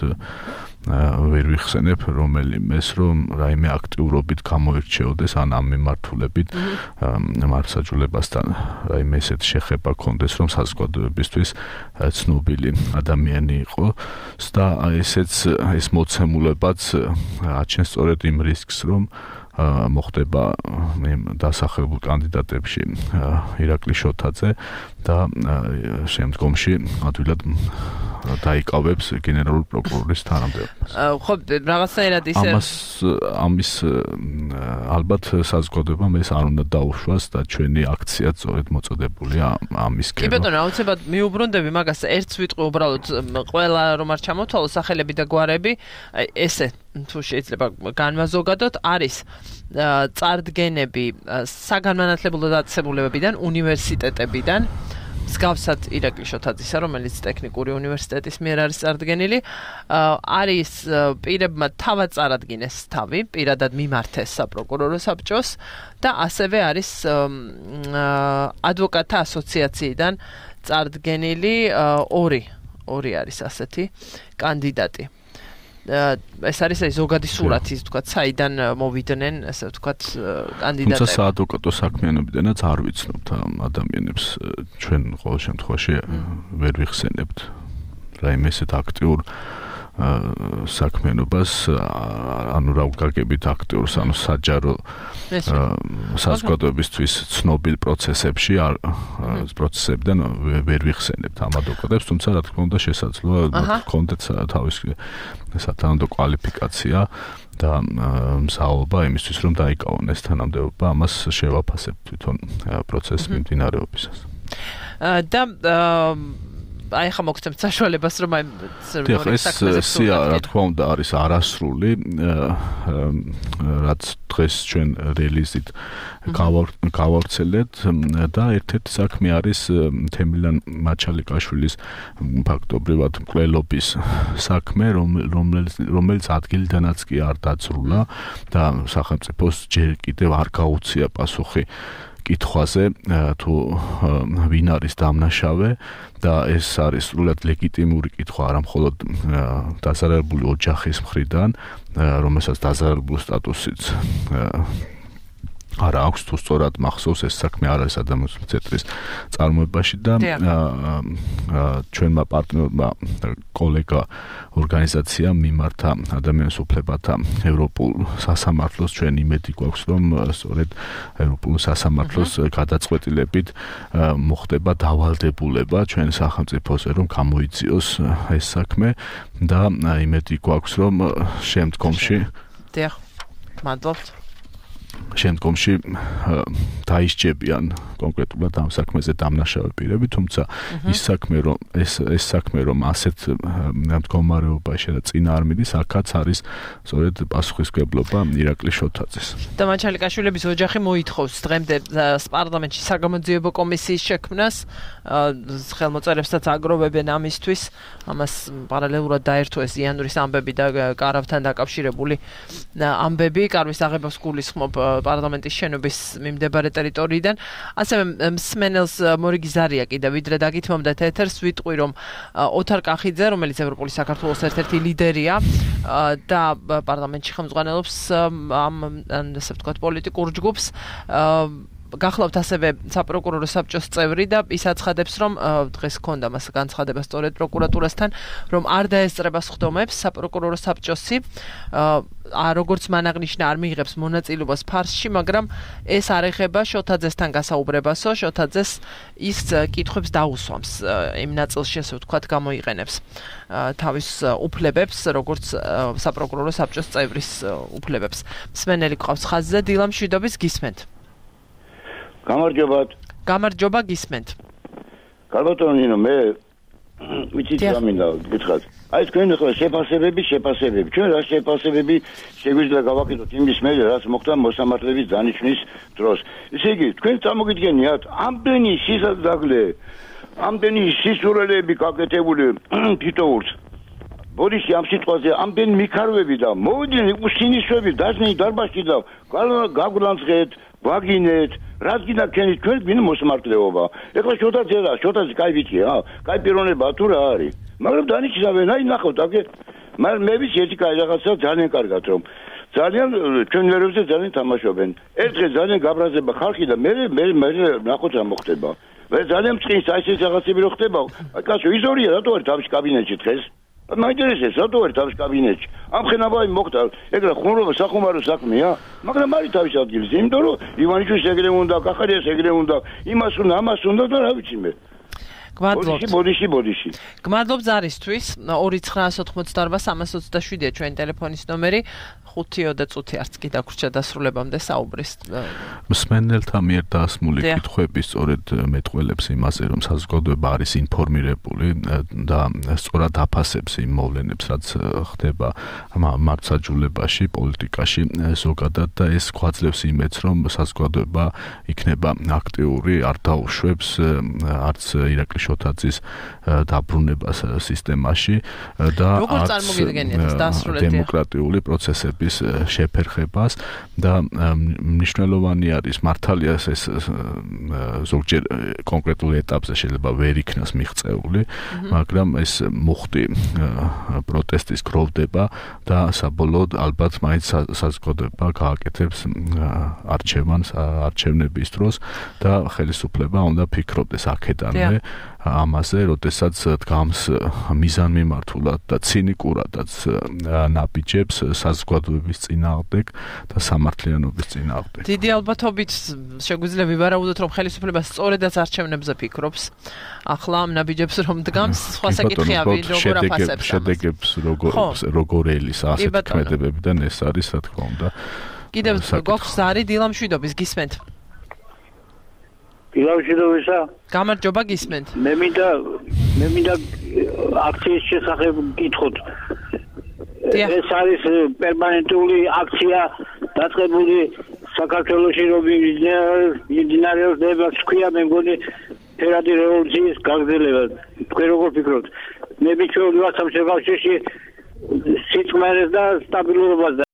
ვერ ვიხსენებ რომელიმეს რომ რაიმე აქტიურობით გამოირჩეოდეს ან ამ მიმართულებით მართლმსაჯულებასთან რაიმე ესეთ შეხება ქონდეს რომ საზოგადოებისთვის ცნობილი ადამიანი იყოს და ესეც ეს მოცემულებაც აჩენს სწორედ იმ რისკს რომ მოხდება დასახელებულ კანდიდატებში ირაკლი შოთაძე და შემდგომში ადვილად დაიკავებს გენერალური პროკურორის თანამდებობას. ხო, რაღაცნაირად ისე ამის ალბათ საზოგადოებამ ეს არ უნდა დაუშვას და ჩვენი აქცია სწორედ მოწოდებულია ამის კერა. კი ბატონო, აუცილებლად მიუბრუნდები მაგას ერთს ვიტყვი უბრალოდ ყველა რომ არ ჩამოთვალოს სახელები და გვარები, ესე თუ შეიძლება განმაზოგადოთ არის წარდგენები საგანმანათლებლო დაწესებულებებიდან, უნივერსიტეტებიდან, მსგავსად ირაკლი შოთაძისა, რომელიც ტექნიკური უნივერსიტეტის მიერ არის წარდგენილი, არის პირებმა თავად წარადგინეს თავი, პირადად მიმართეს საპროკურორო საბჭოს და ასევე არის ადვოკატთა ასოციაციიდან წარდგენილი ორი არის ასეთი კანდიდატი. ეს არის ზოგადი სურათი, თქვა, საიდან მოვიდნენ, ასე ვთქვათ, კანდიდატები. თუმცა საადვოკატო საქმიანობიდანაც არ ვიცნობთ ამ ადამიანებს, ჩვენ ყოველ შემთხვევაში ვერ ვიხსენებთ რაიმე ესეთ აქტიურ საქმიანობას, ანუ რა ვგაგებით აქტიურს, ანუ საჯარო საზოგადოებისთვის ცნობილ პროცესებში პროცესებიდან ვერ ვიხსენებთ ამ ადვოკატებს, თუმცა რა თქმა უნდა შესაძლოა კონდეთ თავის სათანადო კვალიფიკაცია და მსაუბრობა იმისთვის რომ დაიკავონ ეს თანამდებობა, ამას შევაფასებთ თვითონ პროცესის მიმდინარეობისას. და აი ხა მოგცემთ საშუალებას რომ აი ეს რა თქმა უნდა არის არასრული, რაც დღეს ჩვენ რელიზით გავავრცელეთ და ერთ-ერთი საქმე არის თემილან მაჩალიკაშვილის ფაქტობრივად მკვლელობის საქმე, რომელიც ადგილიდანაც კი არ დაწრულა და სახელმწიფოს ჯერ კიდევ არ გაუწია პასუხი კითხვაზე თუ ვინ არის დამნაშავე და ეს არის სრულად ლეგიტიმური კითხვა არა მხოლოდ დაზარალებული ოჯახის მხრიდან, რომელსაც დაზარალებული სტატუსიც არა აქვს, თუ სწორად მახსოვს ეს საქმე არ არის ადამიანის ცენტრის წარმოებაში და ჩვენმა პარტნიორმა კოლეგა ორგანიზაცია მიმართა ადამიანის უფლებათა ევროპულ სასამართლოს, ჩვენ იმედი გვაქვს რომ სწორედ ევროპულ სასამართლოს გადაწყვეტილებით მოხდება დავალდებულება ჩვენ სახელმწიფოზე რომ გამოიძიოს ეს საქმე და იმედი გვაქვს რომ შემდგომში მადლობთ შემდგომში დაისჯებიან კონკრეტულად ამ საქმეზე დამნაშავე პირები, თუმცა ეს საქმე რომ ასეთ მდგომარეობაში და წინა არ მიდის, აქაც არის სწორედ პასუხისმგებლობა ირაკლი შოთაძეს. და მაჩალიკაშვილების ოჯახი მოითხოვს დღემდე პარლამენტში საგამოძიებო კომისიის შექმნას, ხელმოწერებსაც აგროვებენ ამისთვის, ამას პარალელურად დაერთო ეს იანვრის ამბები და კარავთან დაკავშირებული ამბები, კარვის აღებას გულისხმობ პარლამენტის შენობის მიმდებარე ტერიტორიიდან. ასევე მსმენელს მორიგი ზარია კიდე ვიდრე დაგითმობდეთ ეთერს, ვიტყვი რომ ოთარ კახიძე, რომელიც ევროპული საქართველოს ერთ-ერთი ლიდერია და პარლამენტში ხელმძღვანელობს ამ ასე ვთქვათ პოლიტიკურ ჯგუფს, გახლავთ ასევე საპროკურორო საბჭოს წევრი და ის აცხადებს, რომ დღეს ჰქონდა მას განცხადება სწორედ პროკურატურასთან, რომ არ დაესწრება სხდომებს საპროკურორო საბჭოსი, როგორც მან აღნიშნა, არ მიიღებს მონაწილეობას ფარსში, მაგრამ ეს არ ეხება შოთაძესთან გასაუბრებასო, შოთაძეს ის კითხვებს დაუსვამს, იმ ნაწილში ასე ვთქვათ გამოიყენებს თავის უფლებებს, როგორც საპროკურორო საბჭოს წევრის უფლებებს. მსმენელი ყავს ხაზზე, დილა მშვიდობის გისმენთ. გამარჯობა გისმენთ. კარბატონინო, მე ვიცით რა მინდა გითხრათ. აი თქვენ ახლა შეფასებები, ჩვენ რა შეფასებები შეგვიძლია გავაკეთოთ იმის მერე, რაც მოხდა მოსამართლეების დანიშვნის დროს. ესე იგი, თქვენ წარმოგიდგენიათ, ამდენი სისადაგლე, ამდენი სისურელები გაკეთებული ფიტოურს. ბოდიში ამ სიტყვაზე ამდენი მიქარვები და მოვიდნენ უსინისვები დაჟნი დარბაზში და გაგვლანძღეთ, ვაგინეთ, რაც გინდა ჩვენ გვინდა მოსამართლეობა. ეხლა შოთაძე კაი ვიცია, კაი პიროვნება თუ რა არის. მაგრამ დანიშნავენ, აი ნახოთ, აქ მე ვიცი ერთი კაი რაღაცა ძალიან კარგად რომ ძალიან ჩვენ ვერებზე ძალიან თამაშობენ. ერთხელ ძალიან გაბრაზება ხალხი და მე ნახოთ რა მოხდება. მე ძალიან მწყინს აი ეს რაღაცები რო ხდება. კაცო, იზორია რატო არის თავის კაბინეტში დღეს? მაინტერესებს რატო არის თავის კაბინეტში ამ ხენაბაი მოხდა ეგრე ხუმრობა სახუმარო საქმეა მაგრამ არის თავის ადგილზე იმიტომ რომ ივანიშვილს ეგრე უნდა კახარიას ეგრე უნდა იმას უნდა ამას უნდა და რა ვიცი მე ბოდიში გმადლობ ზარისთვის 29988 ჩვენი ტელეფონის ნომერი 5-ოდე წუთი არც კი დაგვრჩა დასრულებამდე საუბრის მსმენელთა მიერ დასმული კითხვები სწორედ მეტყველებს იმაზე რომ საზოგადოება არის ინფორმირებული და სწორად აფასებს იმ მოვლენებს რაც ხდება მართლმსაჯულებაში პოლიტიკაში ზოგადად და ეს გვაძლევს იმედს რომ საზოგადოება იქნება აქტიური არ დაუშვებს არც ირაკლი შოთაძის დაბრუნებას სისტემაში და არც დემოკრატიული პროცესების შეფერხებას და მნიშვნელოვანი არის მართალია ეს ზოგჯერ კონკრეტულ ეტაპზე შეიძლება ვერ იქნას მიღწეული, მაგრამ ეს მუხტი პროტესტის გროვდება და საბოლოოდ ალბათ მაინც საზოგადოება გააკეთებს არჩევნების დროს და ხელისუფლება უნდა ფიქრობდეს აქედანვე ამაზე, როდესაც დგამს მიზანმიმართულად და ცინიკურადაც ნაბიჯებს საზოგადოების წინააღმდეგ და სამართლიანობის წინააღმდეგ. დიდი ალბათობით შეგვიძლია ვივარაუდოთ, რომ ხელისუფლება სწორედაც არჩევნებზე ფიქრობს. ახლა ამ ნაბიჯებს რომ დგამს, სხვა საკითხია როგორ აფასებს. შედეგებს როგორ ელის ასეთ ქმედებებიდან ეს არის, რა თქმა უნდა. კიდევ გვაქვს ზარი დილამშვიდობის გისმენთ. დილამშვიდობისა. გამარჯობა გისმენთ. მე მინდა აქციის შესახებ გითხოთ. ეს არის პერმანენტული აქცია დაწყებული საქართველოში რომ მიმდინარეობს თქვია მე მგონი ფერადი რევოლუციის გაგრძელება. თქვენ როგორ ფიქრობთ? მე მიჩვეuli ვარ სამშობლოში სიწმარეს და სტაბილურობას და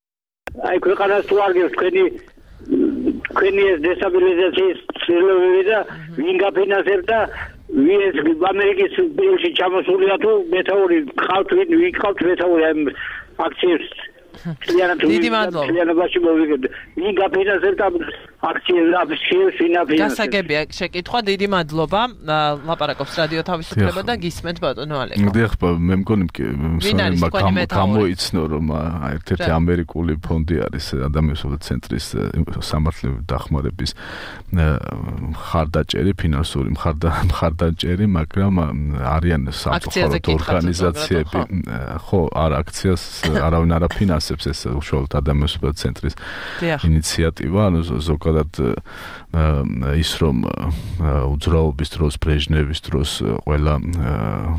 აი ქვეყანას თუ არგებს თქვენი ეს დესტაბილიზაციის ცდილობები და ვინ გაფინანსებს და ვინ ამერიკის ბილში ჩამოსულია თუ მეთაური ხავთ ვინ ხავთ მეთაური ამ აქციებს დიდი მადლობა. ვინ გაფინანსებს აქციებს ვინაფინანსებს გასაგებია შეკითხვა დიდი მადლობა ლაპარაკობს რადიო თავისუფლება და გისმენთ ბატონო ალეკო. დიახ, მე მგონი გამოიცნო რომ ერთ-ერთი ამერიკული ფონდი არის ადამიანთა ცენტრის სამართლებრივი დახმარების მხარდაჭერი, ფინანსური მხარდაჭერი, მაგრამ არიან სამწუხაროდ ორგანიზაციები, ხო, არ აქციას არავინ არ აფინანსებს ეს უშუალოდ ადამიანთა ცენტრის ინიციატივა, ანუ ზოგადად ის რომ უძრაობის დროს ბრეჟნევის დროს ყველა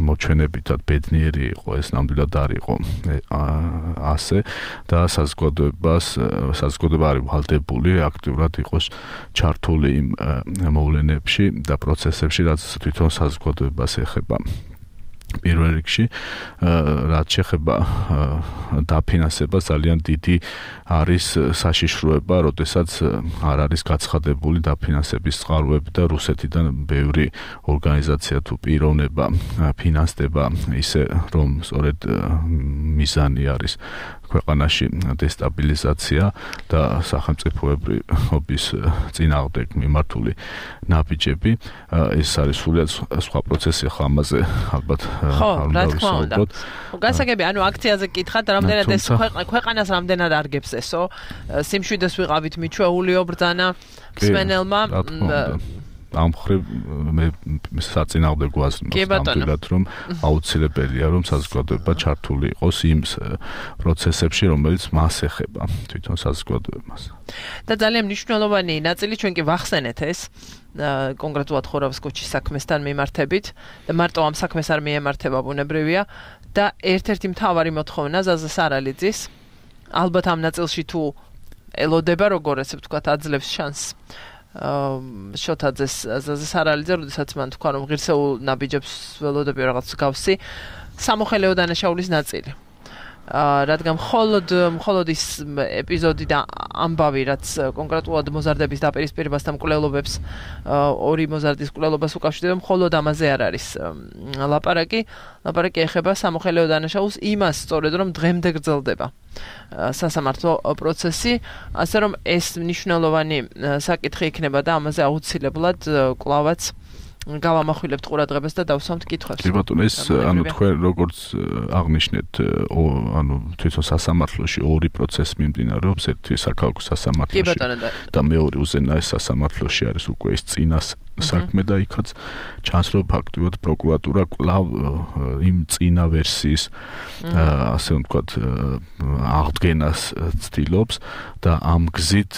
მოჩვენებითად ბედნიერი იყო ეს ნამდვილად არ იყო ასე და საზოგადოება არის ვალდებული აქტიურად იყოს ჩართული იმ მოვლენებში და პროცესებში რაც თვითონ საზოგადოებას ეხება პირველ რიგში რაც შეეხება დაფინანსებას ძალიან დიდი არის საშიშროება, როდესაც არ არის გაცხადებული დაფინანსების წყაროები და რუსეთიდან ბევრი ორგანიზაცია თუ პიროვნება ფინანსდება ისე რომ სწორედ მიზანი არის ქვეყანაში დესტაბილიზაცია და სახელმწიფოების წინააღმდეგ მიმართული ნაბიჯები ეს არის სულად სხვა პროცესი ხა ამაზე ალბათ რა თქმა უნდა. გასაგები, ანუ აქციაზე გითხათ, რამდენად ეს ქვეყანას რამდენად არგებს ესო? სიმშვიდეს ვიყავით მიჩვეულიო ბრძანა მსმენელმა ამ ხრივ მე საწინააღმდეგო გვაზრდათ რომ აუცილებელია რომ საზოგადოება ჩართული იყოს იმ პროცესებში რომელიც მას ეხება თვითონ საზოგადოებას. და ძალიან მნიშვნელოვანი ნაწილი ჩვენ კი ვახსენეთ ეს კონკრეტულად ხორავის კოჩის საქმესთან მიმართებით და მარტო ამ საქმეს არ მიემართება ბუნებრივია და ერთ-ერთი მთავარი მოთხოვნა ზაზა სარალიძის ალბათ ამ ნაწილში თუ ელოდება როგორ ესე ვთქვათ აძლევს შანსს შოთაძეს ზაზა სარალიძე როდესაც მან თქვა რომ ღირსეულ ნაბიჯებს ველოდები რაღაც გავსი სამოხელეო დანაშაულის ნაწილი რადგან მხოლოდ ის ეპიზოდი და ამბავი რაც კონკრეტულად მოზარდების დაპირისპირებასთან მკვლელობებს ორი მოზარდის მკვლელობას უკავშირდება მხოლოდ ამაზე არ არის ლაპარაკი ეხება სამოხელეო დანაშაულს იმას სწორედ რომ დღემდე გრძელდება სასამართლო პროცესი ასე რომ ეს მნიშვნელოვანი საკითხი იქნება და ამაზე აუცილებლად კლავაც გავამახვილებთ ყურადღებას და დავსვამთ კითხვებს. კი ბატონო, ეს ანუ თქვენ როგორც აღნიშნეთ, ანუ თვითონ სასამართლოში ორი პროცესი მიმდინარეობს, ერთი საქალაქო სასამართლოში და მეორე უზენაეს სასამართლოში არის უკვე ის წინას საქმე და იქაც ჩანს რომ ფაქტობრივად პროკურატურა კვლავ იმ წინა ვერსიის ასე ვთქვათ აღდგენას ცდილობს და ამ გზით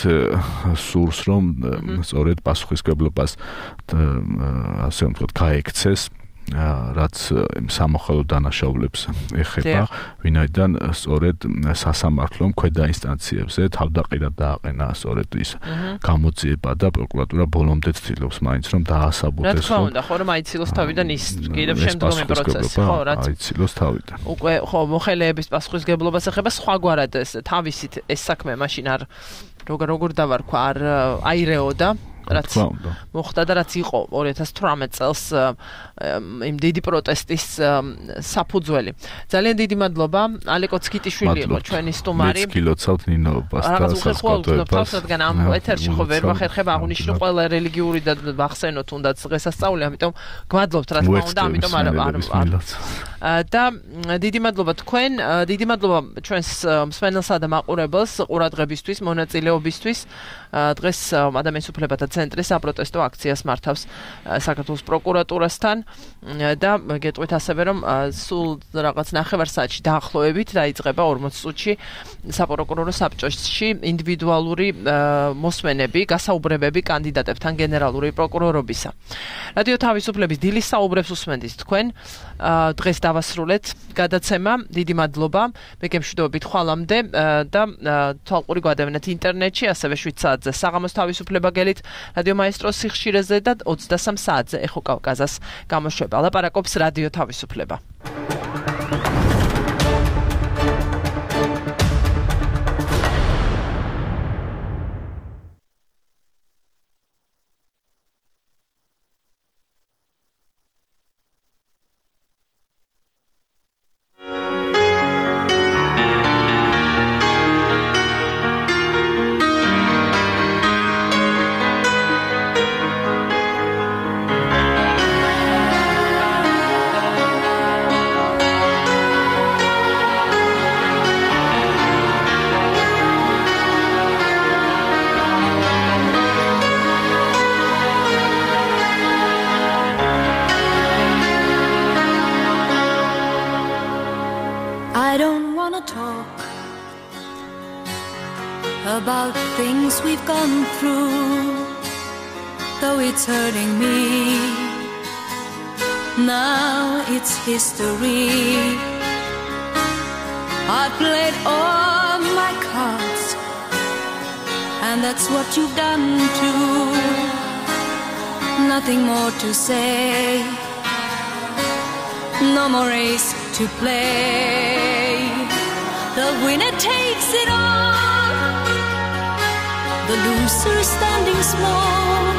სურს რომ სწორედ პასუხისმგებლობას ასე ვთქვათ გაექცეს რაც სამოხელო დანაშაულებს ეხება, ვინაიდან სწორედ სასამართლომ ქვედა ინსტანციებზე თავდაყირად დააყენა სწორედ ის გამოძიება და პროკურატურა ბოლომდე ცდილობს მაინც რომ დაასაბუთოს. რა თქმა უნდა, ხო რომ აიცილოს თავიდან ის კიდევ შემდგომი პროცესი, ხო, რაც აიცილოს თავიდან. უკვე ხო მოხელეების პასუხისმგებლობას ეხება სხვაგვარად ეს თავისით ეს საქმე მაშინ არ როგორ დავარქვა არ აირეოდა რაც მოხდა და რაც იყო 2018 წელს იმ დიდი პროტესტის საფუძველი. ძალიან დიდი მადლობა. ალეკო ცკიტიშვილი იყო ჩვენი სტუმარი. მეც გილოცავთ ნინოობას და საზოგადოებას. რადგან ამ ეთერში ხო ვერ ვახერხებ აღნიშნო ყველა რელიგიური და ვახსენო თუნდაც დღესასწაული, ამიტომ გვადლობთ რა თქმა უნდა, ამიტომ და დიდი მადლობა თქვენ, დიდი მადლობა ჩვენს მსმენელსა და მაყურებელს ყურადღებისთვის, მონაწილეობისთვის. დღეს ადამიანის უფლებათა ცენტრი საპროტესტო აქციას მართავს საქართველოს პროკურატურასთან და გეტყვით ასევე რომ სულ რაღაც 9 საათში დაახლოებით დაიწყება 40 წუთში საპროკურორო საბჭოში ინდივიდუალური მოსმენები, გასაუბრებები კანდიდატებთან გენერალური პროკურორობისა. რადიო თავისუფლების დილის საუბრებს უსმენთ თქვენ. დღეს დავასრულეთ გადაცემა. დიდი მადლობა. მე გემშვიდობებით ხვალამდე და თვალყური გვადევნეთ ინტერნეტში, ასევე 7 საათზე საღამოს თავისუფლება გელით რადიო მაესტროს სიხშირეზე და 23 საათზე ეხო კავკაზას გამოშვება. ლაპარაკობს რადიო თავისუფლება. About things we've gone through, though it's hurting me. Now it's history. I played all my cards, and that's what you've done too. Nothing more to say, no more race to play. The winner takes it all, the loser standing small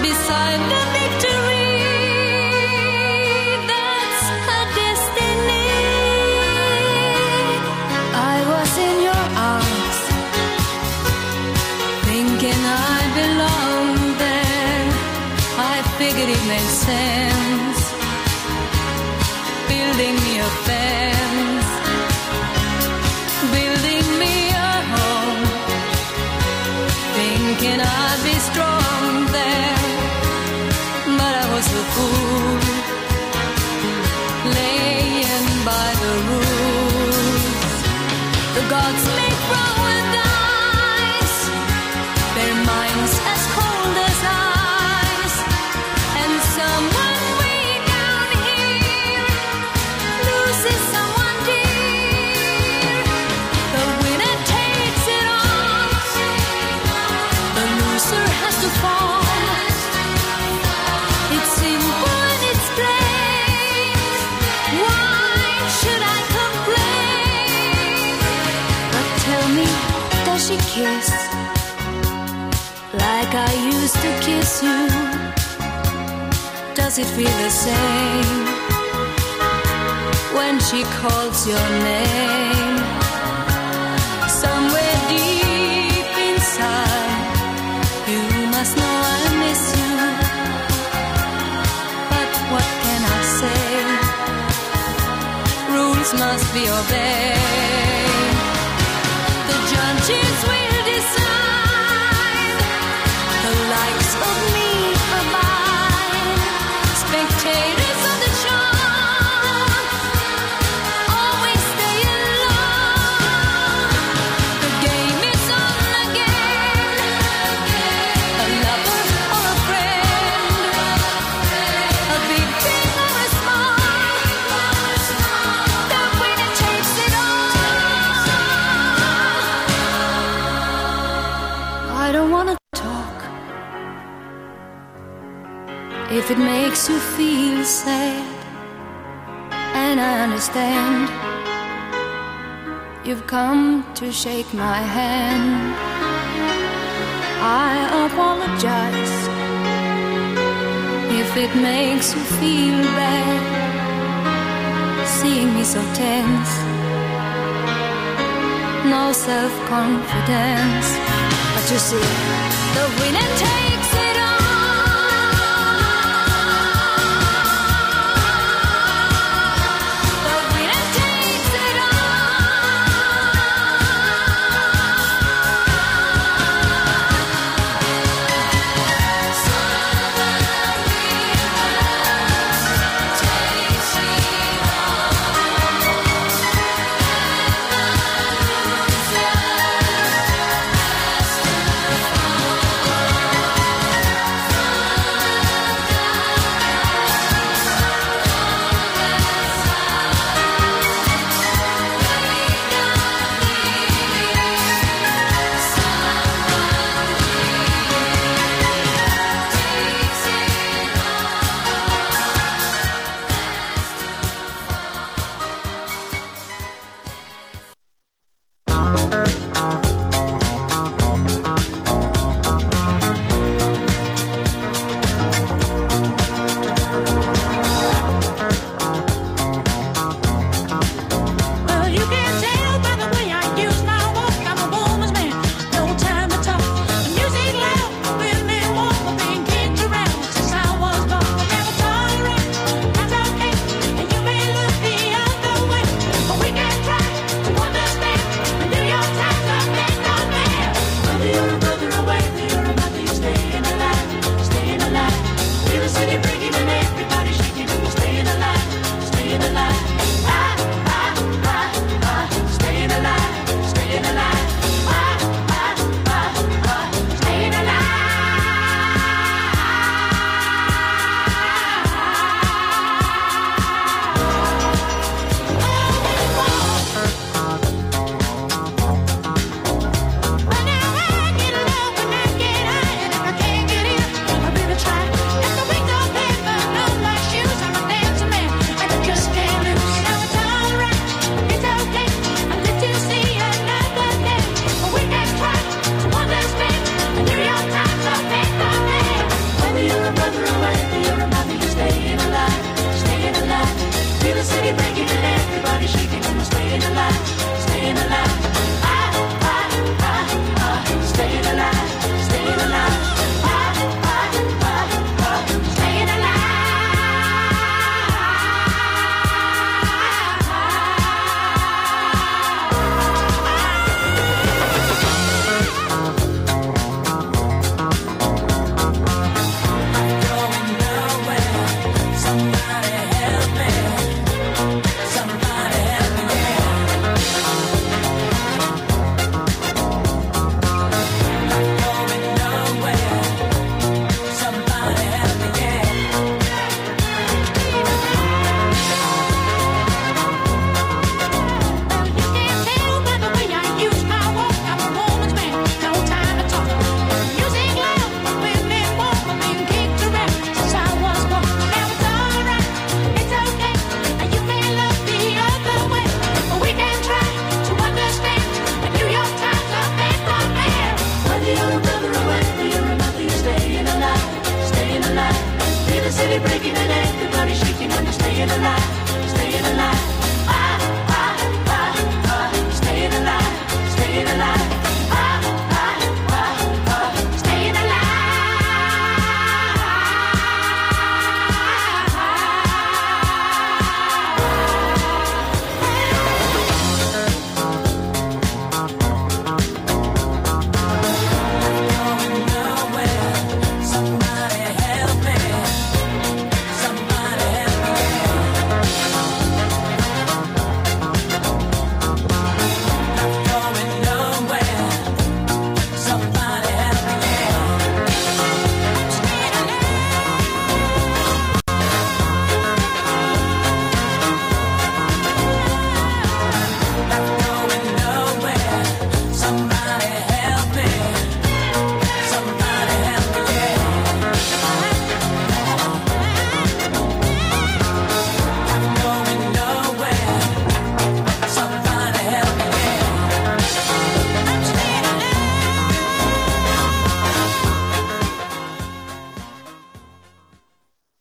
beside the victory. That's her destiny. I was in your arms, thinking I belonged there. I figured it made sense, building me a fence, building me a home, thinking I'd be strong there, but I was a fool, laying by the rules. The gods make wrong with ice, their minds as cold as ice, and someone way down here loses someone dear. The winner takes it all, the loser has to fall. It's simple and it's plain. Why should I complain? But tell me, does she kiss like I used to kiss you? Does it feel the same when she calls your name? Somewhere deep inside, you must know I miss you. this must be obeyed. The judges will decide the likes of me are mine. Spectators of the show always stay alone. The game is on again. A lover or a friend, a big thing or a small, the winner takes it all. I don't wanna talk if it makes you feel sad, and I understand you've come to shake my hand. I apologize if it makes you feel bad, seeing me so tense, no self-confidence. But you see, the winner takes it all. The winner takes it Well, you can tell by the way I use my walk, I'm a woman's man, no time to talk. The music loud, women walk, I'm being kicked around since I was born. Never tolerate, that's okay, and you may look the other way, but we can try to understand. The New York Times are big on man. Whether you're a brother or whether you're a mother, you're staying alive, staying alive. Feel the city breaking and everybody shaking, and we're staying alive, staying alive. Staying alive, staying alive. Staying alive. But now I get low when I get high, and if I can't get in, I really try. Got the wings of paper, no my shoes, I'm a dancing man, and I just can't lose. Now it's alright, it's okay, I live to see another day, but we can try to understand. The New York Times are big on man. Whether you're a brother or whether you're a mother, you're staying alive, staying alive. Feel the city breaking and everybody shaking, and we're staying alive, staying alive. Staying alive, staying alive. Staying alive. Somebody help me. Somebody help me. city breaking and everybody shaking and you're staying alive.